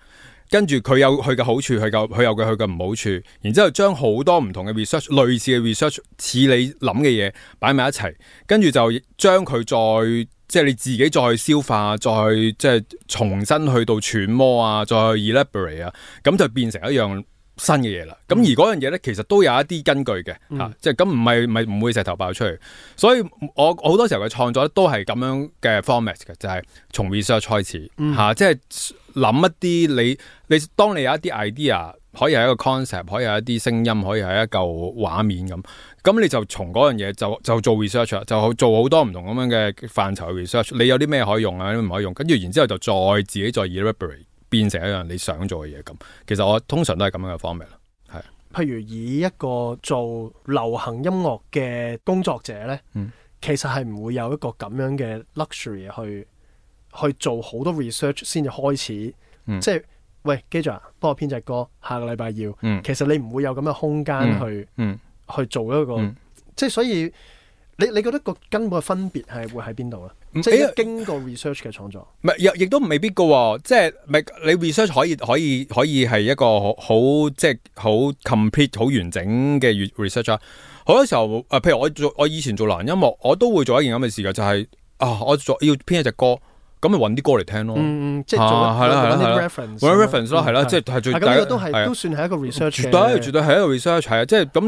跟住佢有佢嘅好處，佢有佢嘅唔好處，然之後將好多唔同嘅 research，類似嘅 research，似你諗嘅嘢擺埋一齊，跟住就將佢再即係你自己再消化，再即係重新去到揣摩啊，再去 elaborate 啊，咁就變成一樣新嘅嘢啦。咁而嗰樣嘢咧，其實都有一啲根據嘅嚇，即係咁唔會石頭爆出嚟。所以我好多時候嘅創作都係咁樣嘅 format 嘅，就係從 research 開始嚇，即係諗一啲你當你有一啲 idea，可以係一個 concept，可以係一啲聲音，可以係一嚿畫面咁咁你就從嗰樣嘢就做 research 啦，就做好多唔同咁樣嘅範疇嘅 research。你有啲咩可以用啊，有啲唔可以用，跟住然之後就再自己再 elaborate 變成一樣你想做嘅嘢咁。其實我通常都係咁樣嘅 format 啦，係。譬如以一個做流行音樂嘅工作者咧，其實係唔會有一個咁樣嘅 luxury 去做好多 research 先至開始，即係喂，記住啊，幫我編隻歌，下個禮拜要。其實你唔會有咁嘅空間去做一個，即係所以你覺得個根本嘅分別係會喺邊度咧？即係經過 research 嘅創作，唔係亦都未必噶喎，即係你 research 可以係一個好即係好 complete 好完整嘅 research 啊。好多時候譬如我以前做流行音樂，我都會做一件咁嘅事嘅，就係我要編一隻歌。咁咪揾啲歌嚟聽咯，即係做啲 reference 咯，係啦，即係最。咁呢個都算係一個 research 嘅。絕對係一個 research 係啊，即係咁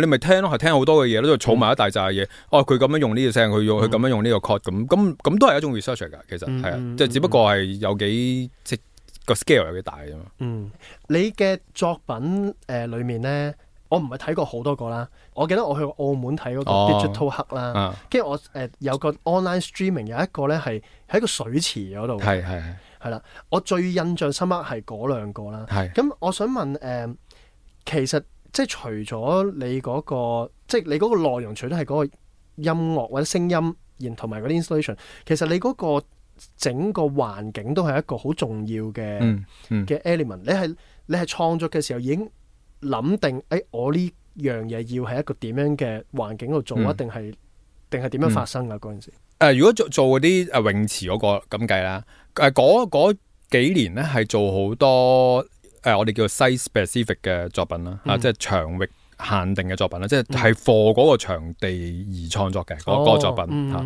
你咪聽咯，係聽好多嘅嘢，都儲埋一大紮嘢。佢咁樣用呢個聲，佢咁樣用呢個 chord，咁都係一種 research 嚟㗎。其實係啊，即係只不過係有幾即個 scale 有幾大啫嘛。你嘅作品裡面咧，我唔係睇過好多個啦。我記得我去澳門睇嗰個 Digital Hut 啦，跟住我有個 online streaming 有一個咧係喺個水池嗰度，係啦。我最印象深刻係嗰兩個啦。咁我想問其實即係除咗你嗰個，即係你嗰個內容，除咗係嗰個音樂或者聲音，然同埋嗰啲 installation， 其實你嗰個整個環境都係一個好重要嘅element。你係創作嘅時候已經諗定，我呢樣嘢要喺一個點樣嘅環境度做啊？定係點樣發生啊？嗰陣時，如果做嗰啲泳池嗰個咁計啦，嗰幾年咧係做好多我哋叫做 site specific 嘅作品啦，即係場域限定嘅作品啦，即係 for 嗰個場地而創作嘅嗰個作品嚇。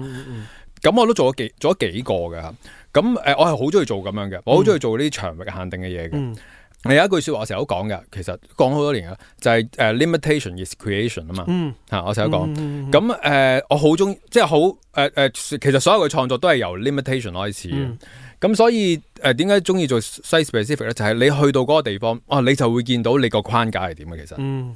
咁我都做咗幾個嘅嚇。咁我係好中意做咁樣嘅，我好中意做呢啲場域限定嘅嘢嘅。有一句説話我成日都講嘅，其實講好多年啦，就係limitation is creation 啊嘛嚇，我成日都講。咁我好中意，即係好其實所有嘅創作都係由 limitation 開始嘅。咁所以點解中意做 site specific 咧？就係你去到嗰個地方，你就會見到你個框架係點嘅。其實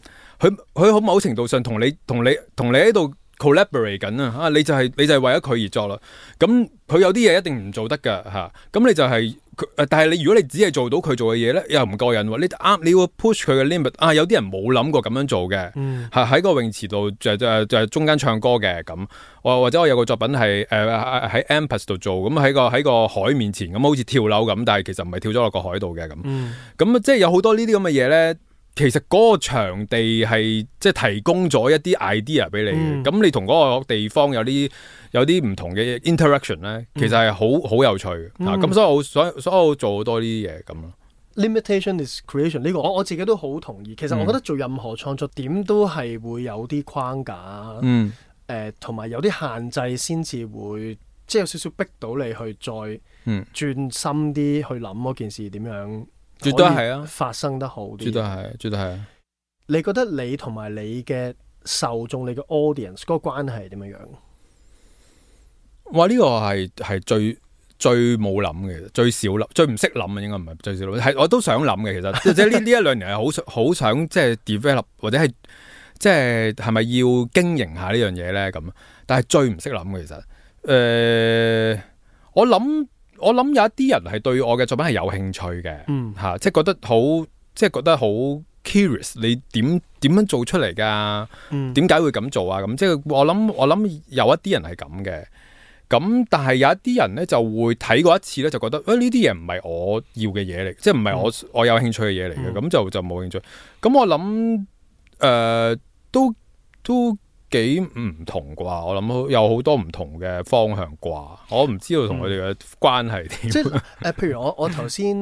佢好某程度上同你喺度 collaborate 緊啊！你就係為咗佢而作啦。咁佢有啲嘢一定唔做得㗎嚇。咁你就係。但係你如果你只係做到佢做嘅嘢咧，又唔過癮喎。你要 push 佢嘅 limit 有啲人冇諗過咁樣做嘅，喺個泳池度就中間唱歌嘅咁。或者我有個作品係喺 Empress 度做，咁喺個海面前咁，好似跳樓咁，但係其實唔係跳咗落個海度嘅咁。咁即係有好多呢啲咁嘅嘢咧。其實嗰個場地係即係提供咗一啲 idea 俾你嘅，咁你同嗰個地方有啲唔同嘅 interaction 咧，其實係好有趣嘅。咁所以我做好多呢啲嘢咁咯。Limitation is creation 呢個我自己都好同意。其實我覺得做任何創作點都係會有啲框架，同埋有啲限制先至會，即係有少少逼到你去再轉深啲去諗嗰件事點樣。絕對係啊，發生得好啲。絕對係啊。你覺得你同埋你嘅受眾、你嘅 audience 嗰個關係係點樣？哇！呢個係最冇諗嘅，最少諗、最唔識諗啊，應該唔係最少諗。係我都想諗嘅，其實即係呢一兩年係好想即係 develop 或者係即係咪要經營下呢樣嘢咧咁？但係最唔識諗嘅其實，我諗有一啲人係對我嘅作品係有興趣嘅，即係覺得好 curious， 你點樣做出嚟㗎？點解會咁做啊？咁即係我諗有一啲人係咁嘅，咁但係有一啲人咧就會睇過一次咧就覺得，呢啲嘢唔係我要嘅嘢嚟，即係唔係我有興趣嘅嘢嚟嘅，咁就冇興趣。咁我諗都幾唔同啩，我諗有好多唔同嘅方向啩，我唔知道同佢哋嘅關係點。即係譬如我頭先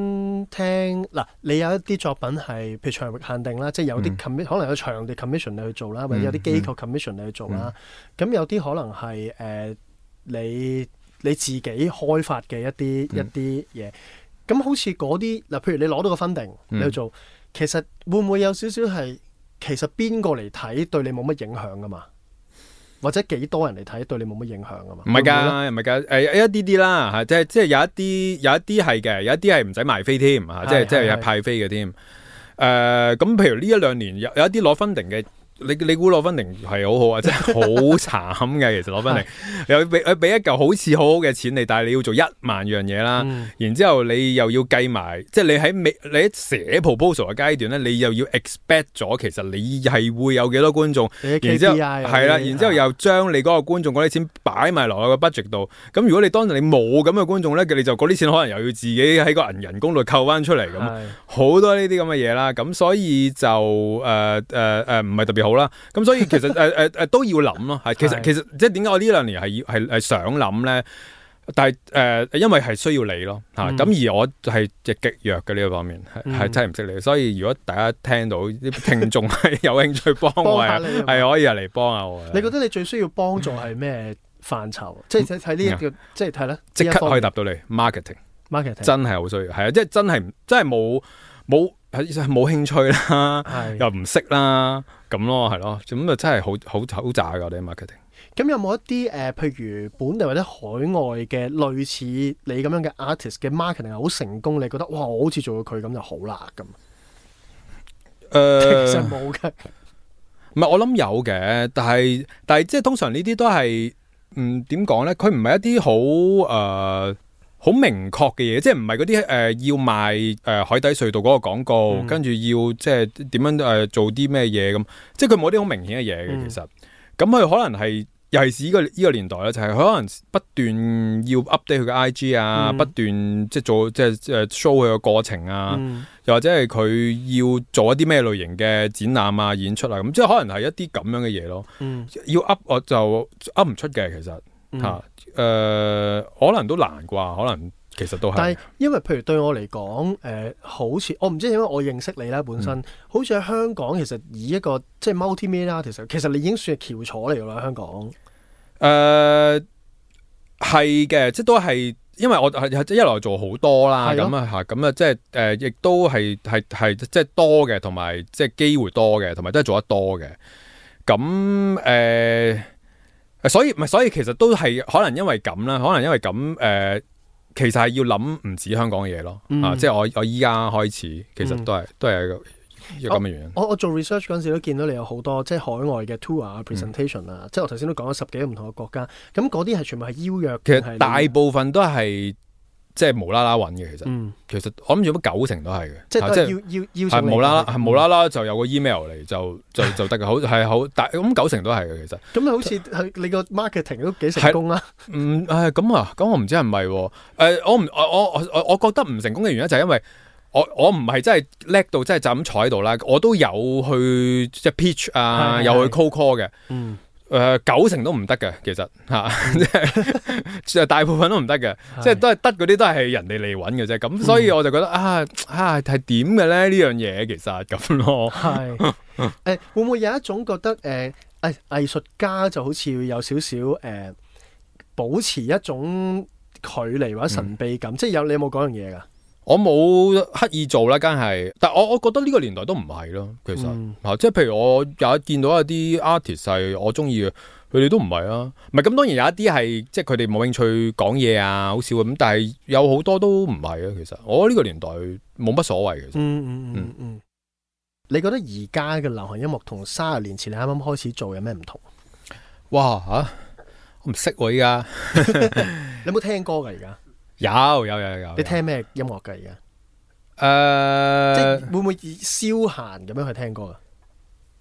聽嗱，你有一啲作品係譬如場域限定啦，即係有啲可能有場地 commission 你去做啦，或者有啲機構 commission 你去做啦。咁有啲可能係你自己開發嘅一啲嘢。咁好似嗰啲嗱，譬如你攞到個 funding 你去做，其實會唔會有少少係其實邊個嚟睇對你冇乜影響噶嘛？或者幾多人嚟睇對你冇乜影響啊嘛？唔係㗎，一啲啦嚇，即係有一啲係嘅，有一啲係唔使賣飛添嚇，即係派飛嘅添。咁譬如呢一兩年有一啲攞 funding 嘅你估攞分定係好好啊？真係好慘嘅，其實攞分定又俾一嚿好似好好嘅錢你，但係你要做1萬樣嘢啦，然之後你又要計埋，即係你喺寫 proposal 嘅階段咧，你又要 expect 咗其實你係會有幾多觀眾，然之後係啦，然之後又將你嗰個觀眾嗰啲錢擺埋落去個 budget 度。咁如果你當時你冇咁嘅觀眾咧，你就嗰啲錢可能又要自己喺個人工度扣翻出嚟咁，好多呢啲咁嘅嘢啦。咁所以就唔係特別好啦。咁所以其實都要諗咯。係其實即係點解我呢2年係想諗咧？但係因為係需要你咯嚇。咁而我係極弱嘅呢個方面，係真係唔識你。所以如果大家聽到啲聽眾係有興趣幫我，係可以嚟幫下我。你覺得你最需要幫助係咩範疇？即係睇呢一個，即係睇咧，即刻可以答到你 marketing 真係好需要，係啊，即係真係冇興趣啦，又唔識啦，咁咯，係咯，咁啊真係好渣㗎我哋 marketing。咁有冇一啲譬如本地或者海外嘅類似你咁樣嘅 artist 嘅 marketing 係好成功，你覺得哇，我好似做到佢咁就好啦咁？其實冇嘅，唔係我諗有嘅，但係即係通常呢啲都係點講咧？佢唔係一啲好明確嘅嘢，即係唔係嗰啲要賣海底隧道嗰個廣告，跟住要即係點樣做啲咩嘢咁，即係佢冇啲好明顯嘅嘢嘅其實。咁佢可能係尤其是呢個年代咧，就係佢可能不斷要 update 佢嘅 IG 啊，不斷即係做即係 show 佢個過程啊，又或者係佢要做一啲咩類型嘅展覽啊、演出啊，咁即係可能係一啲咁樣嘅嘢咯。要 up 我就 up 唔出嘅其實嚇。可能都難啩，可能其實都係。但係因為譬如對我嚟講，好似我唔知點解我認識你啦，本身好似喺香港，其實以一個即係 multimedia artist，其實你已經算係翹楚嚟㗎啦，香港。係嘅，即係都係，因為我一來做好多啦，咁啊嚇，咁啊即係亦都係即係多嘅，同埋即係機會多嘅，同埋都係做得多嘅。咁所以其實都係可能因為咁啦，可能因為咁其實係要諗唔止香港嘅嘢咯，即係我依家開始，其實都係一個咁嘅原因。我做 research 嗰陣時都見到你有好多即係海外嘅 tour 啊、presentation 啊，即係我頭先都講咗10幾個唔同嘅國家，咁嗰啲係全部係邀約。其實大部分都係即係無啦啦揾嘅，其實我諗住乜90%都係嘅，即係都係要係無啦啦就有個 email 嚟就得嘅，好但咁90%都係嘅其實。咁好似係你個 marketing 都幾成功啦。咁我唔知係咪我覺得唔成功嘅原因就係因為我唔係真係叻到真係就咁坐喺度啦，我都有去即係 pitch 啊，有去 cold call 嘅。90%都唔得嘅，其實即係大部分都唔得嘅，即係都係得嗰啲都係人哋嚟揾嘅啫。咁所以我就覺得係點嘅咧呢樣嘢其實咁咯。係會唔會有一種覺得藝術家就好似要有少少保持一種距離或者神秘感，即係你有冇嗰樣嘢㗎？我冇刻意做啦，梗係，但我覺得呢個年代都唔係咯，其實即係譬如我有見到一啲 artist 係我中意嘅，佢哋都唔係啊，唔係咁當然有一啲係即係佢哋冇興趣講嘢啊，好少咁，但係有好多都唔係啊，其實我呢個年代冇乜所謂嘅。你覺得而家嘅流行音樂同30年前你啱啱開始做有咩唔同？哇我唔識喎依家，你有冇聽歌㗎而家？有。你聽咩音樂㗎而家？即係會唔會消閒咁樣去聽歌啊？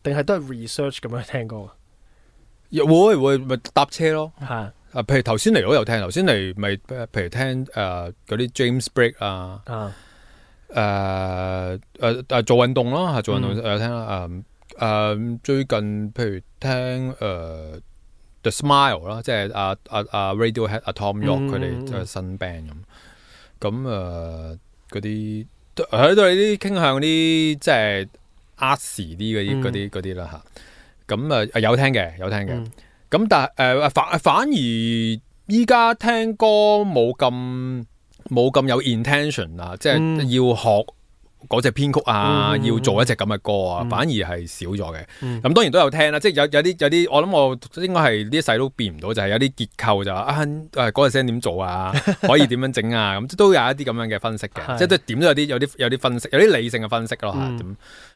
定係都係 research 咁樣去聽歌啊？會咪搭車咯？係譬如頭先嚟我有聽，頭先嚟咪譬如聽嗰啲 James Blake 啊，做運動咯，做運動有聽啦。最近譬如聽The Smile 啦，即係Radiohead、Tom York 佢哋即係新 band 咁嗰啲喺度啲傾向啲即係 artsy 啲嗰啲啦嚇。咁有聽嘅，咁但係反而依家聽歌冇咁有 intention 啊，即係要學嗰隻編曲啊，要做一隻咁嘅歌啊，反而係少咗嘅。咁當然都有聽啦，即係有啲，我諗我應該係呢一世都變唔到，就係有啲結構就話嗰個聲點做啊，可以點樣整啊，咁都有一啲咁樣嘅分析嘅，即係都點都有啲分析，有啲理性嘅分析咯嚇。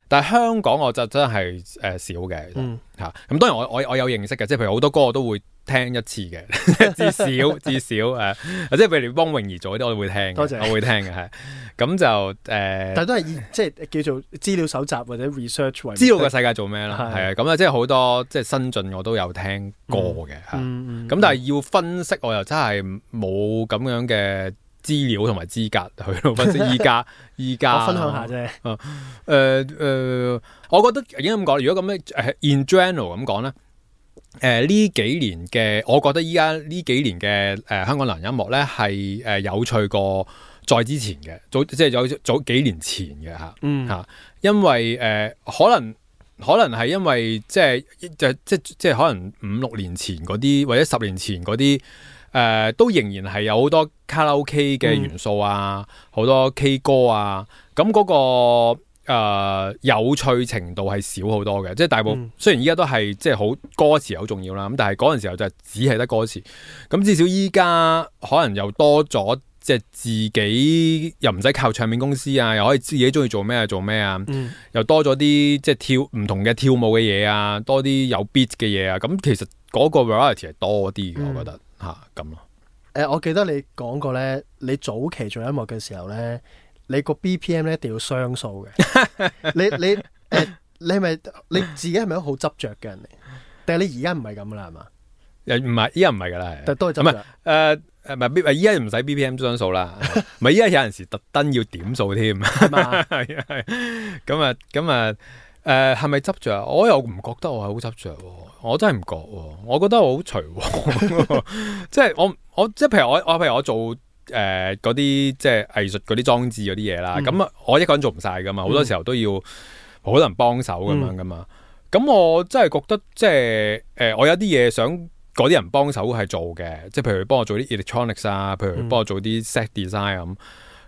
但係香港我就真係少嘅嚇。咁當然我有認識嘅，即係譬如好多歌我都會聽一次嘅，至少即係譬如幫泳兒做嗰啲我會聽嘅，我會聽嘅係。咁就但係都係即係叫做資料搜集或者 research 為知道個世界做咩啦，係啊。咁啊，即係好多即係新進我都有聽過嘅嚇。咁但係要分析我又真係冇咁樣嘅資料同埋資格去到分析依家我分享下啫。我覺得已經咁講，如果咁樣in general 咁講咧，呢幾年嘅，我覺得依家呢幾年嘅香港流行音樂咧係有趣過再之前嘅，即係有早幾年前嘅嚇。因為可能係因為即係可能5-6年前嗰啲或者10年前嗰啲。都仍然係有好多卡拉 OK 嘅元素啊，好多 K 歌啊，咁嗰個有趣程度係少好多嘅，即係大部分雖然依家都係即係好歌詞好重要啦，咁但係嗰陣時候就只係得歌詞，咁至少依家可能又多咗即係自己又唔使靠唱片公司啊，又可以自己中意做咩就做咩啊，又多咗啲即係唔同嘅跳舞嘅嘢啊，多啲有 beat 嘅嘢啊，咁其實嗰個 variety 係多啲嘅，我覺得。咁咯。我記得你講過咧，你早期做音樂嘅時候咧，你個 BPM 咧一定要雙數嘅。你係咪你自己係咪都好執着嘅人嚟？定係你而家唔係咁啦？係嘛？唔係，依家唔係噶啦，但都係執着。唔係依家唔使 BPM 雙數啦。唔係依家有陣時特登要點數添。係嘛？係咁啊。係咪執着？我又唔覺得我係好執着，我真係唔覺。我覺得我好隨和，即係我即係譬如我做嗰啲即係藝術嗰啲裝置嗰啲嘢啦。咁我一個人做唔晒噶嘛，好多時候都要好多人幫手咁樣噶嘛。咁我真係覺得即係我有啲嘢想嗰啲人幫手係做嘅，即係譬如幫我做啲 electronics 啊，譬如幫我做啲 set design 咁。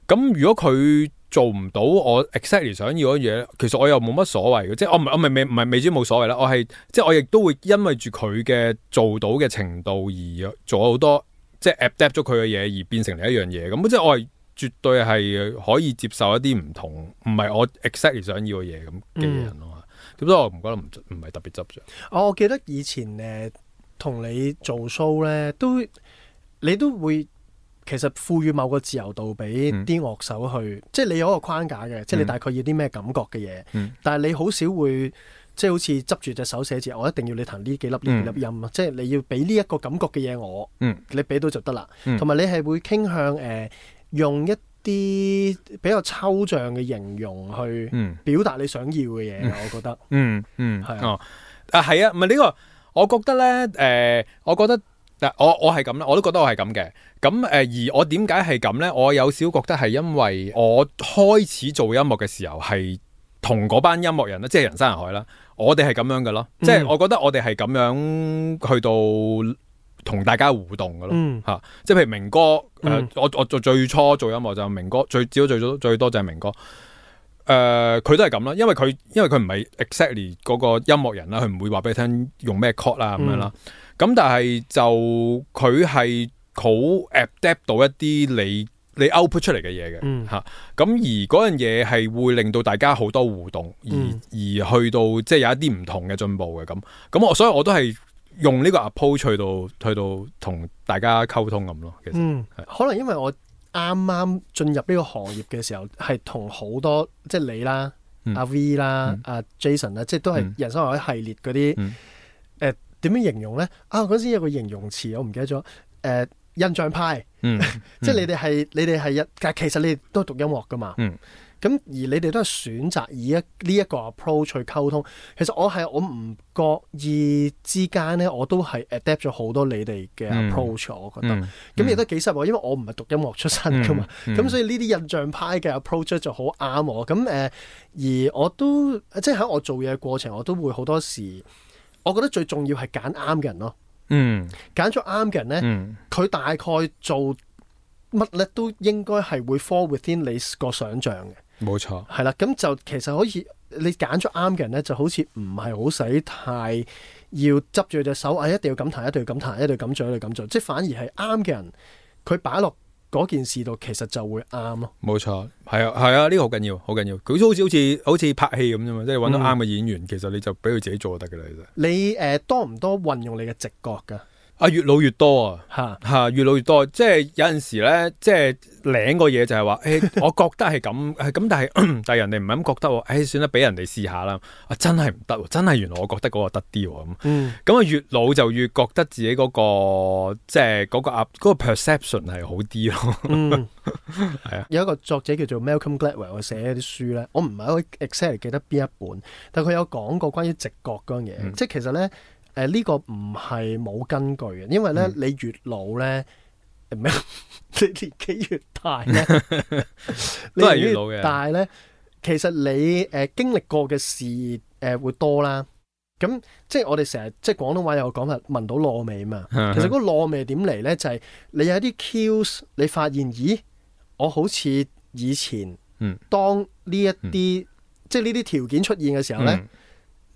咁如果佢做唔到我 exactly 想要嘅嘢，其實我又冇乜所謂嘅，即係我唔係未知冇所謂啦。我係即係我亦都會因為住佢嘅做到嘅程度而做好多即係 adapt 咗佢嘅嘢而變成另一樣嘢。咁即係我係絕對係可以接受一啲唔同，唔係我 exactly 想要嘅嘢咁嘅人咯。咁所以我唔覺得唔係特別執着。我記得以前同你做 show 咧，你都會。其實賦予某個自由度俾啲樂手去，即係你有一個框架嘅，即係你大概要啲咩感覺嘅嘢。但係你好少會即係好似執住隻手寫字，我一定要你彈呢幾粒音啊！即係你要俾呢一個感覺嘅嘢我，你俾到就得啦。同埋你係會傾向用一啲比較抽象嘅形容去表達你想要嘅嘢。我覺得，係係啊，唔係呢個，我覺得咧，我覺得。我係咁啦，我都覺得我係咁嘅。咁而我點解係咁咧？我有少覺得係因為我開始做音樂嘅時候係同嗰班音樂人啦，即係人山人海啦。我哋係咁樣嘅咯，即係我覺得我哋係咁樣去到同大家互動嘅咯。嚇，即係譬如明哥，我做最初做音樂就係明哥，最多就係明哥。佢都係咁啦，因為佢唔係 exactly 嗰個音樂人啦，佢唔會話俾你聽用咩 chord 啦咁樣啦。咁但係就佢係好 adapt 到一啲你 output 出嚟嘅嘢嘅嚇。咁而嗰樣嘢係會令到大家好多互動，而去到即係有一啲唔同嘅進步嘅咁。所以我都係用呢個 approach 去到同大家溝通咁咯。其實可能因為我啱啱進入呢個行業嘅時候，係同好多即係你啦、阿 V 啦、阿 Jason 啦，即係都係人生或者系列嗰啲點樣形容咧？嗰時有個形容詞我唔記得咗。印象派，即係你哋係但其實你哋都係讀音樂噶嘛。咁而你哋都係選擇以呢一個 approach 去溝通。其實我唔覺意之間咧，我都係 adapt 咗好多你哋嘅 approach。我覺得咁亦都幾失望，因為我唔係讀音樂出身噶嘛。咁所以呢啲印象派嘅 approach 就好啱我。咁而我都即係喺我做嘢嘅過程，我都會好多時。我覺得最重要係揀啱嘅人咯，揀咗啱嘅人咧，佢大概做乜咧都應該係會 fall within 你個想像嘅。冇錯，係啦，咁就其實可以你揀咗啱嘅人咧，就好似唔係好使太要執住隻手，一定要咁彈，一定要咁彈，一定要咁做，一定要咁做，即係反而係啱嘅人，佢擺落嗰件事度，其實就會啱咯。冇錯，係啊，呢個好緊要，好緊要。佢都好似拍戲咁啫嘛，即係揾到啱嘅演員，其實你就俾佢自己做就得㗎啦。其實你多唔多運用你嘅直覺㗎？越老越多啊，越老越多，即係有陣時咧，即係領個嘢就係話，我覺得係咁，但係人哋唔係咁覺得喎，算啦，俾人哋試下啦，真係唔得，真係原來我覺得嗰個得啲喎咁，咁越老就越覺得自己嗰個即係嗰個 perception 係好啲咯，係啊。有一個作者叫做 Malcolm Gladwell， 佢寫一啲書咧，我唔係好 exactly 記得邊一本，但佢有講過關於直覺嗰樣嘢，即係其實咧。呢個唔係冇根據嘅，因為咧你越老咧，你年紀越大咧，都係越老嘅。但係咧，其實你經歷過嘅事會多啦。咁即係我哋成日即係廣東話有個講法，聞到燶味嘛。其實嗰個燶味點嚟咧？就係你有啲 cues，你發現，咦，我好似以前當呢一啲即係呢啲條件出現嘅時候咧。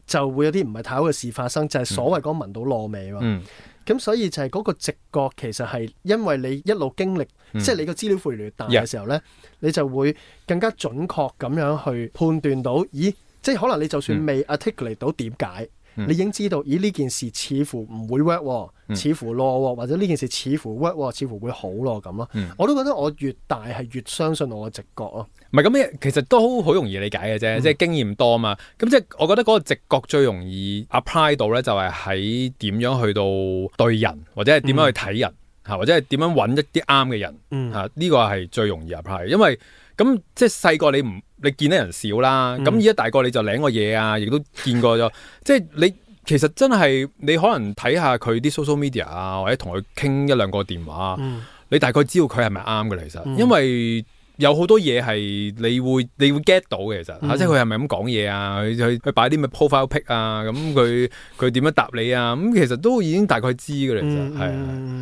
就會有啲唔係太好嘅事發生，就係所謂嗰聞到燶味喎。咁所以就係嗰個直覺其實係因為你一路經歷，即係你個資料庫越大嘅時候咧，你就會更加準確咁樣去判斷到，咦，即係可能你就算未 articulate 到點解，你已經知道，咦，呢件事似乎唔會 work，似乎落，或者呢件事似乎 work，似乎會好咯咁咯。我都覺得我越大係越相信我嘅直覺咯。唔係咁，其實都好容易理解嘅啫，即係經驗多嘛。咁即係我覺得嗰個直覺最容易 apply 到咧，就係喺點樣去到對人，或者係點樣去睇人嚇，或者係點樣揾一啲啱嘅人嚇。呢個係最容易 apply，因為咁即係細個你見得人少啦，咁而家大個你就領個嘢啊，亦都見過咗。即係你其實真係你可能睇下佢啲 social media 啊，或者同佢傾一兩個電話，你大概知道佢係咪啱嘅啦。其實因為有好多嘢係你會 get 到嘅，其實即係佢係咪咁講嘢啊？佢擺啲咩 profile pic 啊？咁佢點樣答你啊？咁其實都已經大概知嘅啦。其實係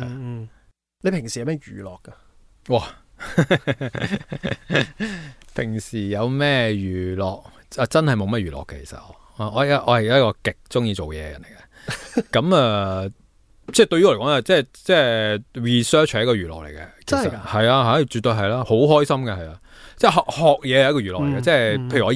啊。你平時有咩娛樂㗎？哇！平時有咩娛樂真係冇乜娛樂嘅。其實我係一個極中意做嘢嘅人嚟嘅。咁即係對於我嚟講即係 research 係一個娛樂嚟嘅。真係㗎？係啊，絕對係啦，好開心嘅。係啊，即係學嘢係一個娛樂嚟嘅。即係譬如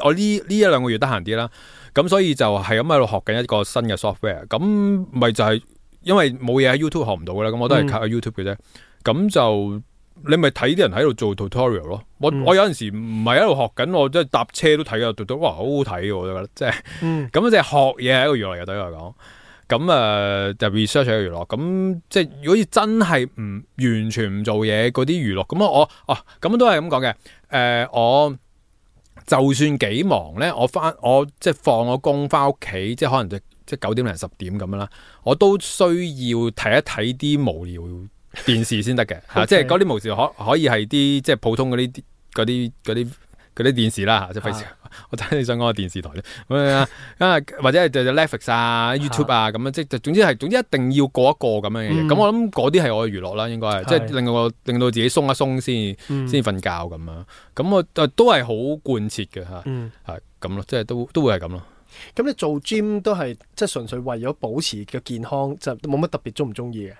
我呢一兩個月得閒啲啦，咁所以就係咁喺度學緊一個新嘅 software。咁咪就係因為冇嘢喺 YouTube 學唔到嘅啦，咁我都係靠 YouTube 嘅啫。咁就你咪睇啲人喺度做 tutorial 咯。我有陣時唔係喺度學緊，我即係搭車都睇啊，哇，好好睇嘅，我覺得即係咁即係學嘢係一個娛樂嚟嘅，對於我嚟講。咁就 research 係一個娛樂。咁即係如果真係唔完全唔做嘢嗰啲娛樂，咁咁都係咁講嘅。我就算幾忙咧，我即係放咗工翻屋企，即係可能即係9點零10點咁樣啦，我都需要睇一睇啲無聊電視先得嘅。即係嗰啲無聊可以係啲即係普通嗰啲電視啦，即係費事我睇你想講個電視台咧，或者係就 Netflix 啊、YouTube 啊咁樣，即係總之一定要過一過咁樣嘅嘢。咁我諗嗰啲係我嘅娛樂啦，應該係即係令到自己鬆一鬆先瞓覺咁樣。咁我都係好貫徹嘅嚇，係咁咯，即係都會係咁咯。咁你做 gym 都係即係純粹為咗保持嘅健康，就冇乜特別中唔中意嘅？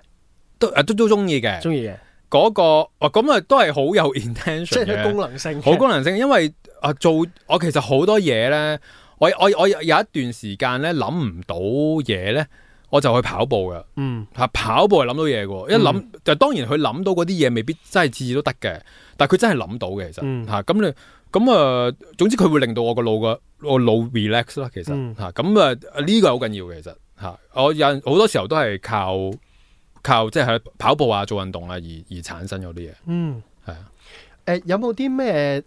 都中意嘅，中意嘅。嗰個咁啊，都係好有 intention 嘅，即係功能性，好功能性。因為我其實好多嘢咧，我有一段時間咧諗唔到嘢咧，我就去跑步嘅。跑步係諗到嘢嘅，一諗就當然佢諗到嗰啲嘢未必真係次次都得嘅，但係佢真係諗到嘅。其實咁總之佢會令到我個腦 relax 啦。其實呢個係好緊要嘅。其實我有好多時候都係靠即係跑步啊、做運動啊而產生咗啲嘢。係啊。有冇啲咩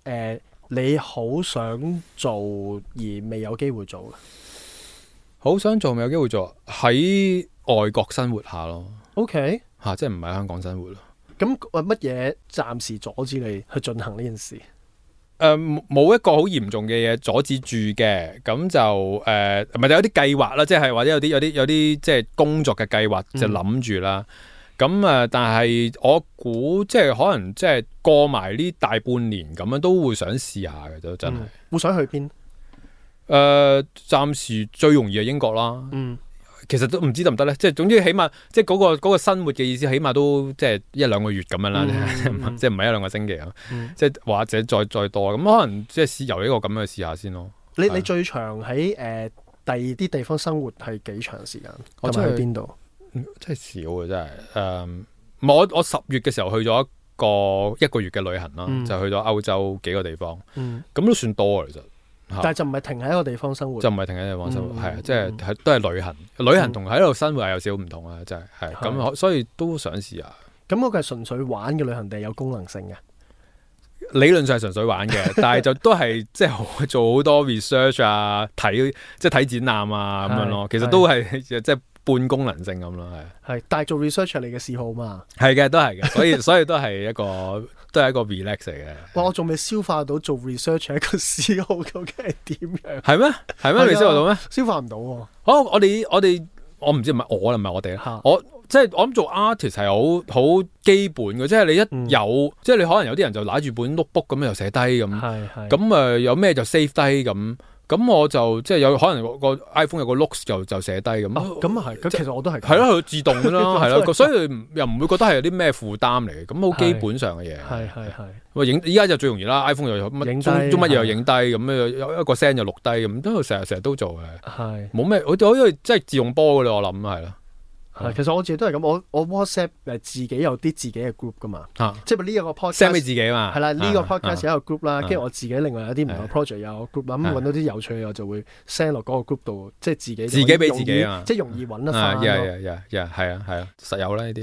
你好想做而未有機會做嘅？好想做未有機會做，喺外國生活下咯。OK。即係唔喺香港生活咯。咁乜嘢暫時阻止你去進行呢件事？冇一個好嚴重嘅嘢阻止住嘅，咁就咪就有啲計劃啦，即係或者有啲即係工作嘅計劃就諗住啦。咁咁但係我估即係可能即係過埋呢大半年咁樣都會想試下嘅都真係。會想去邊？暫時最容易係英國啦。其實都唔知得唔得咧，即係總之起碼即係嗰個生活嘅意思，起碼都即係1-2個月咁樣啦，即係唔係1-2個星期啊，即係或者再多咁，可能即係試由呢個咁樣試下先咯。你最長喺第二啲地方生活係幾長時間？我真係去邊度？真係少嘅真係。我10月嘅時候去咗一個月嘅旅行啦，就去咗歐洲幾個地方，咁都算多其實。但係就唔係停喺一個地方生活，就唔係停喺地方生活，係啊，即係都係旅行。旅行同喺度生活係有少少唔同啊，真係咁，所以都想試下。咁嗰個係純粹玩嘅旅行定係有功能性嘅？理論上係純粹玩嘅，但係就都係即係做好多 research 啊，睇展覽啊咁樣咯。其實都係即係半功能性咁咯，係。但係做 research 係你嘅嗜好嘛？係嘅，都係嘅，所以都係一個 relax 嚟嘅。哇！我仲未消化到做 research 係一個嗜好究竟係點樣？係咩？係咩？未消化到咩？消化唔到喎。我唔知唔係我哋啦，即係我諗做 artist 係好基本嘅，即係你一有，即係你可能有啲人就拿住本 notebook 咁又寫低咁，咁有咩就 save 低咁我就即係有可能個 iPhone 有個 notes 就寫低咁。咁啊係，咁其實我都係。係咯，佢自動㗎啦，係咯，所以又唔會覺得係有啲咩負擔嚟嘅，咁好基本上嘅嘢。係。依家就最容易啦 ，iPhone 又乜中乜嘢又影低，咁有一個聲就錄低，咁都成日都做嘅。係。冇咩，我因為即係自動波㗎啦，我諗係啦。其實我自己都係咁，我 WhatsApp 自己有啲自己嘅 group 噶嘛，即係呢一個 podcast send 俾自己嘛，係啦，呢個 podcast 有一個 group 啦，跟住我自己另外有啲唔同 project 有個 group 啦，咁揾到啲有趣嘅我就會 send 落嗰個 group 度，即係自己俾自己啊，即係容易揾得翻咯。係啊，實有啦呢啲，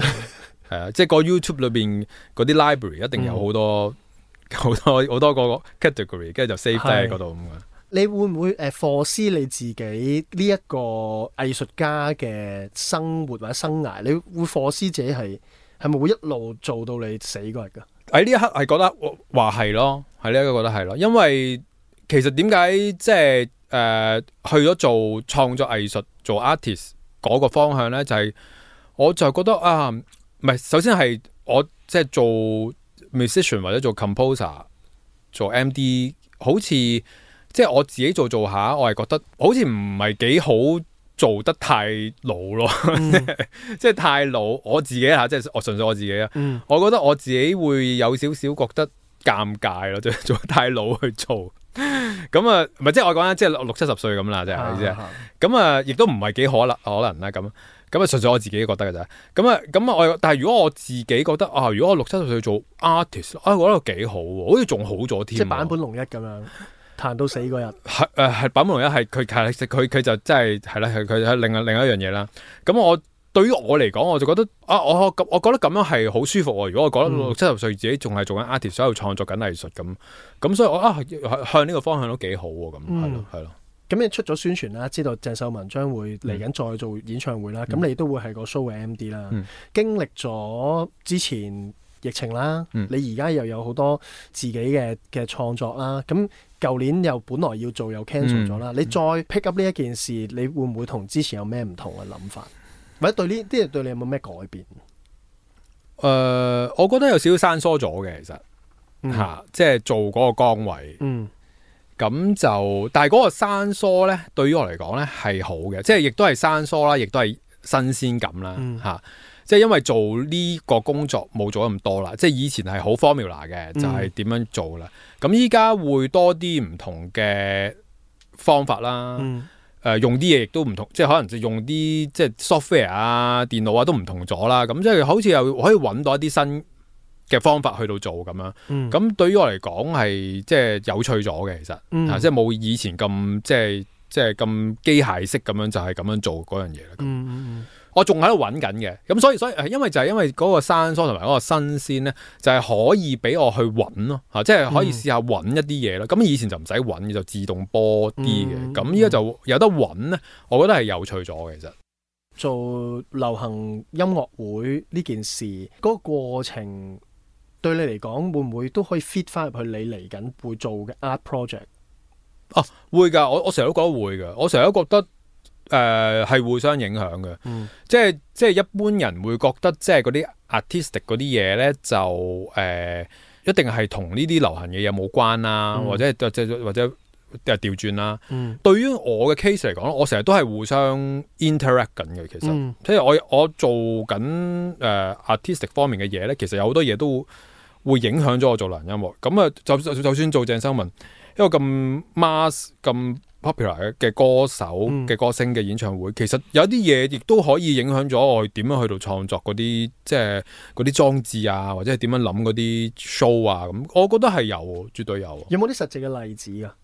係啊，即係個 YouTube 裏邊嗰啲 library 一定有好多個 category， 跟住就 save 低喺嗰度咁啊。你會唔會foresee你自己呢一個藝術家嘅生活或者生涯？你會foresee自己係咪會一路做到你死嗰日㗎？喺呢一刻係覺得話係咯，喺呢一刻覺得係咯，因為其實點解即係去咗做創作藝術做 artist 嗰個方向咧，就係我就覺得啊，唔係首先係我即係做 musician 或者做 composer 做 MD 好似。即係我自己做下，我係覺得好似唔係幾好做得太老咯，即係太老。我自己即係我純粹我自己啊，我覺得我自己會有少少覺得尷尬咯，即係做得太老去做。咁啊，唔係即係我講緊即係60-70歲咁啦，即係意思。咁啊，亦都唔係幾可能啦。咁啊，純粹我自己覺得嘅咋。咁但係如果我自己覺得啊，如果我60-70歲做 artist，我覺得幾好喎，好似仲好咗添。即係坂本龍一咁樣。彈到死嗰日，係坂本龍一係佢就真係係啦，佢係另一樣嘢啦。咁我對於我嚟講，我就覺得我覺得咁樣係好舒服喎。如果我覺得60-70歲自己仲係做緊 artist，所以創作緊藝術咁所以我向呢個方向都幾好喎。咁係咯。咁你出咗宣傳啦，知道鄭秀文將會嚟緊再做演唱會啦。咁你都會係個 show 嘅 MD 啦。經歷咗之前疫情啦，你而家又有好多自己嘅創作啦。咁舊年又本來要做又 cancel 咗啦，你再 pick up 呢一件事，你會唔會同之前有咩唔同嘅諗法？或者對呢啲嘢對你有冇咩改變？我覺得有少少生疏咗嘅，其實即係做嗰個崗位。咁就但係嗰個生疏咧，對於我嚟講咧係好嘅，即係亦都係生疏啦，亦都係新鮮感啦。即係因為做呢個工作冇做咗咁多啦，即係以前係好 formula 嘅，就係點樣做啦。咁依家會多啲唔同嘅方法啦，用啲嘢亦都唔同，即係可能就用啲即係 software 啊、電腦啊都唔同咗啦。咁即係好似又可以揾到一啲新嘅方法去到做咁樣。咁對於我嚟講係即係有趣咗嘅，其實即係冇以前咁即係咁機械式咁樣就係咁樣做嗰樣嘢啦。我仲喺度揾緊嘅，咁所以因為嗰個生疏同埋嗰個新鮮咧，就係可以俾我去揾咯，即係可以試下揾一啲嘢咯。咁以前就唔使揾，就自動播啲嘅。咁依家就有得揾咧，我覺得係有趣咗嘅。其實做流行音樂會呢件事，嗰個過程對你嚟講，會唔會都可以 fit 翻入去你嚟緊會做嘅 art project？會㗎，我成日都覺得會㗎，我成日都覺得。係互相影響嘅，即係一般人會覺得即係嗰啲 artistic 嗰啲嘢咧就一定係同呢啲流行嘅嘢冇關啦，或者調轉啦。對於我嘅 case 嚟講，我成日都係互相 interact 緊嘅。其實，即係我做緊artistic 方面嘅嘢咧，其實有好多嘢都會影響咗我做流行音樂。咁啊，就算做鄭秀文一個咁 mass 咁 popular 嘅歌手嘅歌星嘅演唱會，其實有啲嘢亦都可以影響咗我點樣去到創作嗰啲即係嗰啲裝置啊，或者係點樣諗嗰啲 show 啊咁。我覺得係有，絕對有。有冇啲實際嘅例子啊？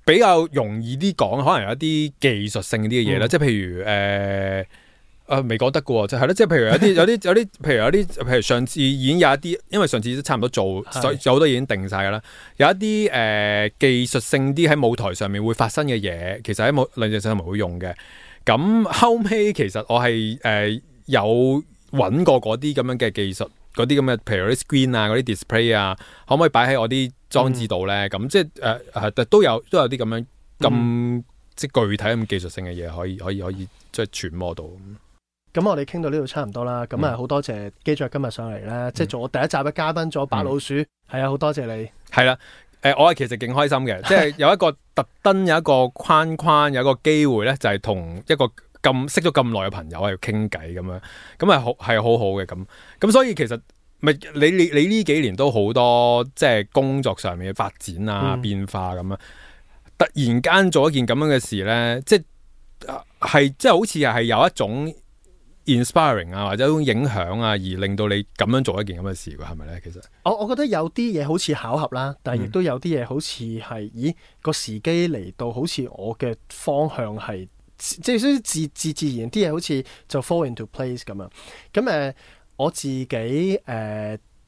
比較容易啲講，可能有一啲技術性啲嘅嘢啦，即係譬如未講得嘅喎，即係咯，即係譬如譬如上次已經有一啲，因為上次都差唔多做，有好多嘢已經定晒㗎啦。有一啲技術性啲喺舞台上面會發生嘅嘢，其實喺兩隻上面會用嘅。咁後尾其實我係有揾過嗰啲咁樣嘅技術，嗰啲咁嘅譬如啲 screen 啊、嗰啲 display 啊，可唔可以擺喺我啲裝置度咧？咁即係都有啲咁樣咁即係具體咁技術性嘅嘢，可以即係揣摩到。咁我哋傾到呢度差唔多啦。咁好多謝機長今日上嚟咧，即係做我第一集嘅嘉賓，做白老鼠。係啊，好多謝你。係啦，我係其實勁開心嘅，即係有一個特登有一個框，有一個機會咧，就係同一個識咗咁耐嘅朋友喺度傾偈咁樣，咁係好好嘅咁所以其實咪你呢幾年都好多即係工作上面嘅發展啊、變化咁樣，突然間做一件咁樣嘅事咧，即係好似係有一種 inspiring 啊，或者一種影響啊，而令到你咁樣做一件咁嘅事，係咪咧？其實我覺得有啲嘢好似巧合啦，但係亦都有啲嘢好似係，咦個時機嚟到，好似我嘅方向係即係自然啲嘢，好似就 fall into place 咁樣。咁我自己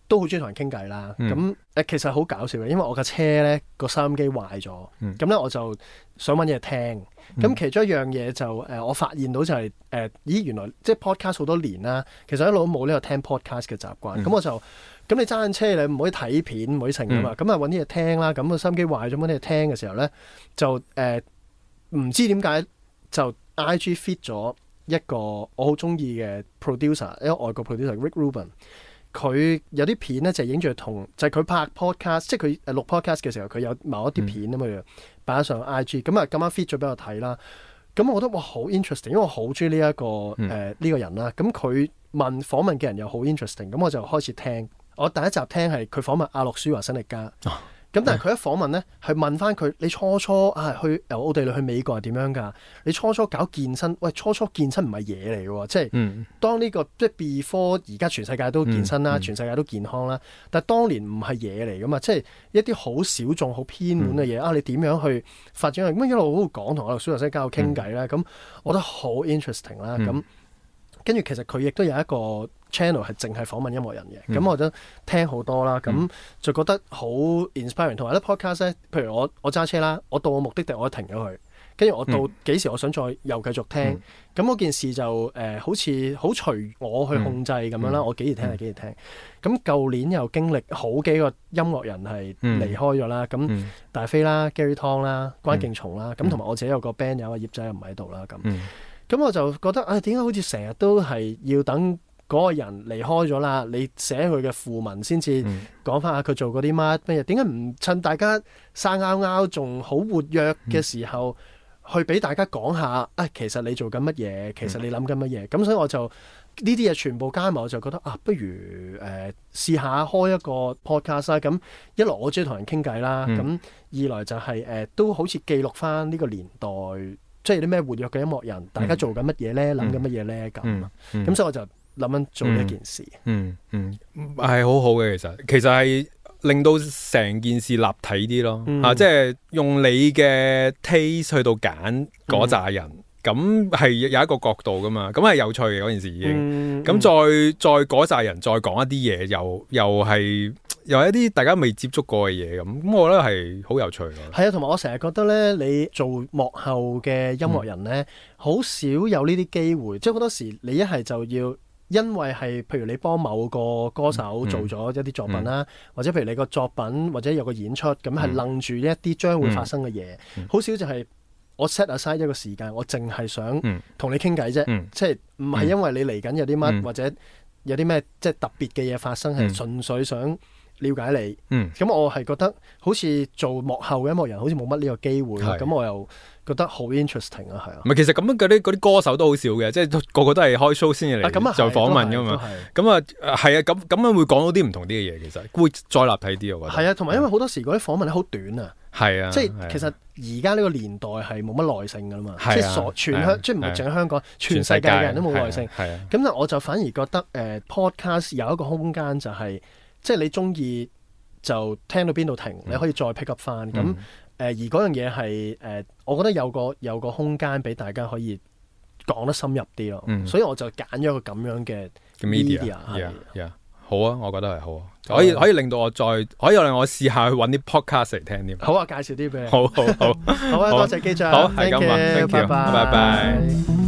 都好中意同人傾偈啦。咁其實好搞笑嘅，因為我架車咧個收音機壞咗，咁咧我就想揾嘢聽。咁其中一樣嘢就我發現到就係咦原來即係 podcast 好多年啦，其實一路都冇呢個聽 podcast 嘅習慣。咁你揸緊車你唔可以睇片，唔可以成㗎嘛。咁啊揾啲嘢聽啦。咁個收音機壞咗，揾啲嘢聽嘅時候咧，就唔知點解就 IG feed 咗一個我好中意嘅 producer， 一個外國 producer Rick Rubin。佢有啲片咧就影住就係佢拍 podcast， 即係佢錄 podcast 嘅時候，佢有某一啲片咁樣擺上 IG， 咁啊咁啱 feed 咗俾我睇啦。咁我覺得哇好 interesting， 因為我好中意呢一個呢個人啦。咁佢訪問嘅人又好 interesting， 咁我就開始聽。我第一集聽係佢訪問阿諾舒華辛力加。咁但係佢一訪問咧，係問翻佢：你初去由奧地利去美國係點樣㗎？你初搞健身，喂，初健身唔係嘢嚟嘅喎，即係當呢個即係 before 而家全世界都健身啦，全世界都健康啦，但係當年唔係嘢嚟㗎嘛，即係一啲好小眾、好偏門嘅嘢你點樣去發展？咁一路講同阿諾舒華辛力加傾偈啦，咁我覺得好 interesting 啦，咁跟住其實佢亦都有一個 channel 係淨係訪問音樂人嘅，咁我都聽好多啦，咁就覺得好 inspiring。同埋咧 podcast 咧，譬如我揸車啦，我到我目的地我停咗佢，跟住我到幾時我想再又繼續聽，咁嗰件事就好似好隨我去控制咁樣啦，我幾時聽係幾時聽。咁舊年又經歷好幾個音樂人係離開咗啦，咁大飛啦、Gary Tong 啦、關敬松啦，咁同埋我自己有個 band 友葉仔又唔喺度啦，咁我就覺得點解好似成日都係要等嗰個人離開咗啦，你寫佢嘅訃文先至講翻下佢做過啲乜嘢？點解唔趁大家生拗拗仲好活躍嘅時候，去俾大家講下其實你做緊乜嘢？其實你諗緊乜嘢？咁所以我就呢啲嘢全部加埋，我就覺得不如試下開一個 podcast 啦。咁一來我中意同人傾偈啦，咁二來就係都好似記錄翻呢個年代。即係啲咩活躍嘅音樂人，大家做緊乜嘢咧？諗緊乜嘢咧？咁所以我就諗緊做呢一件事。係好好嘅，其實係令到成件事立體啲咯。即係用你嘅 taste 去到揀嗰扎人，咁係有一個角度噶嘛。咁係有趣嘅嗰件事已經。咁再嗰扎人再講一啲嘢，又係。又一啲大家未接觸過嘅嘢咁，我覺得係好有趣咯。係啊，同埋我成日覺得咧，你做幕後嘅音樂人咧，好少有呢啲機會。即係好多時你一係就要，因為係譬如你幫某個歌手做咗一啲作品啦，或者譬如你個作品或者有個演出，咁係楞住一啲將會發生嘅嘢。好少就係我 set aside 一個時間，我淨係想同你傾偈啫，嗯即係唔係因為你嚟緊有啲乜、嗯或者有啲咩即係特別嘅嘢發生，係純粹想了解你。嗯咁我係覺得好似做幕後嘅音樂人好似冇乜呢個機會，係咁我又覺得好 interesting 啊，係啊唔。係，其實咁樣嗰啲歌手都好少嘅，即係個個都係開 show 先至啊咁啊嚟做訪問噶嘛。咁啊係啊，咁樣會講到啲唔同啲嘅嘢，其實會再立體啲，我覺得。係啊，同埋因為好多時嗰啲訪問咧好短啊，係啊，即係其實而家呢個年代係冇乜耐性噶啦嘛，係啊即係全香即係唔係淨係香港，全世界嘅人都冇耐性。係啊，咁但我就反而覺得podcast 有一個空間就係即係你中意就聽到邊度停，你可以再 pick up 翻。咁而嗰樣嘢係我覺得有個空間俾大家可以講得深入啲咯。所以我就揀咗個咁樣嘅 media。好啊，我覺得係好啊，可以令到我可以令我試下去揾啲 podcast 嚟聽添。好啊，介紹啲俾你。好，好啊，多謝機長。好，係咁啊，拜拜。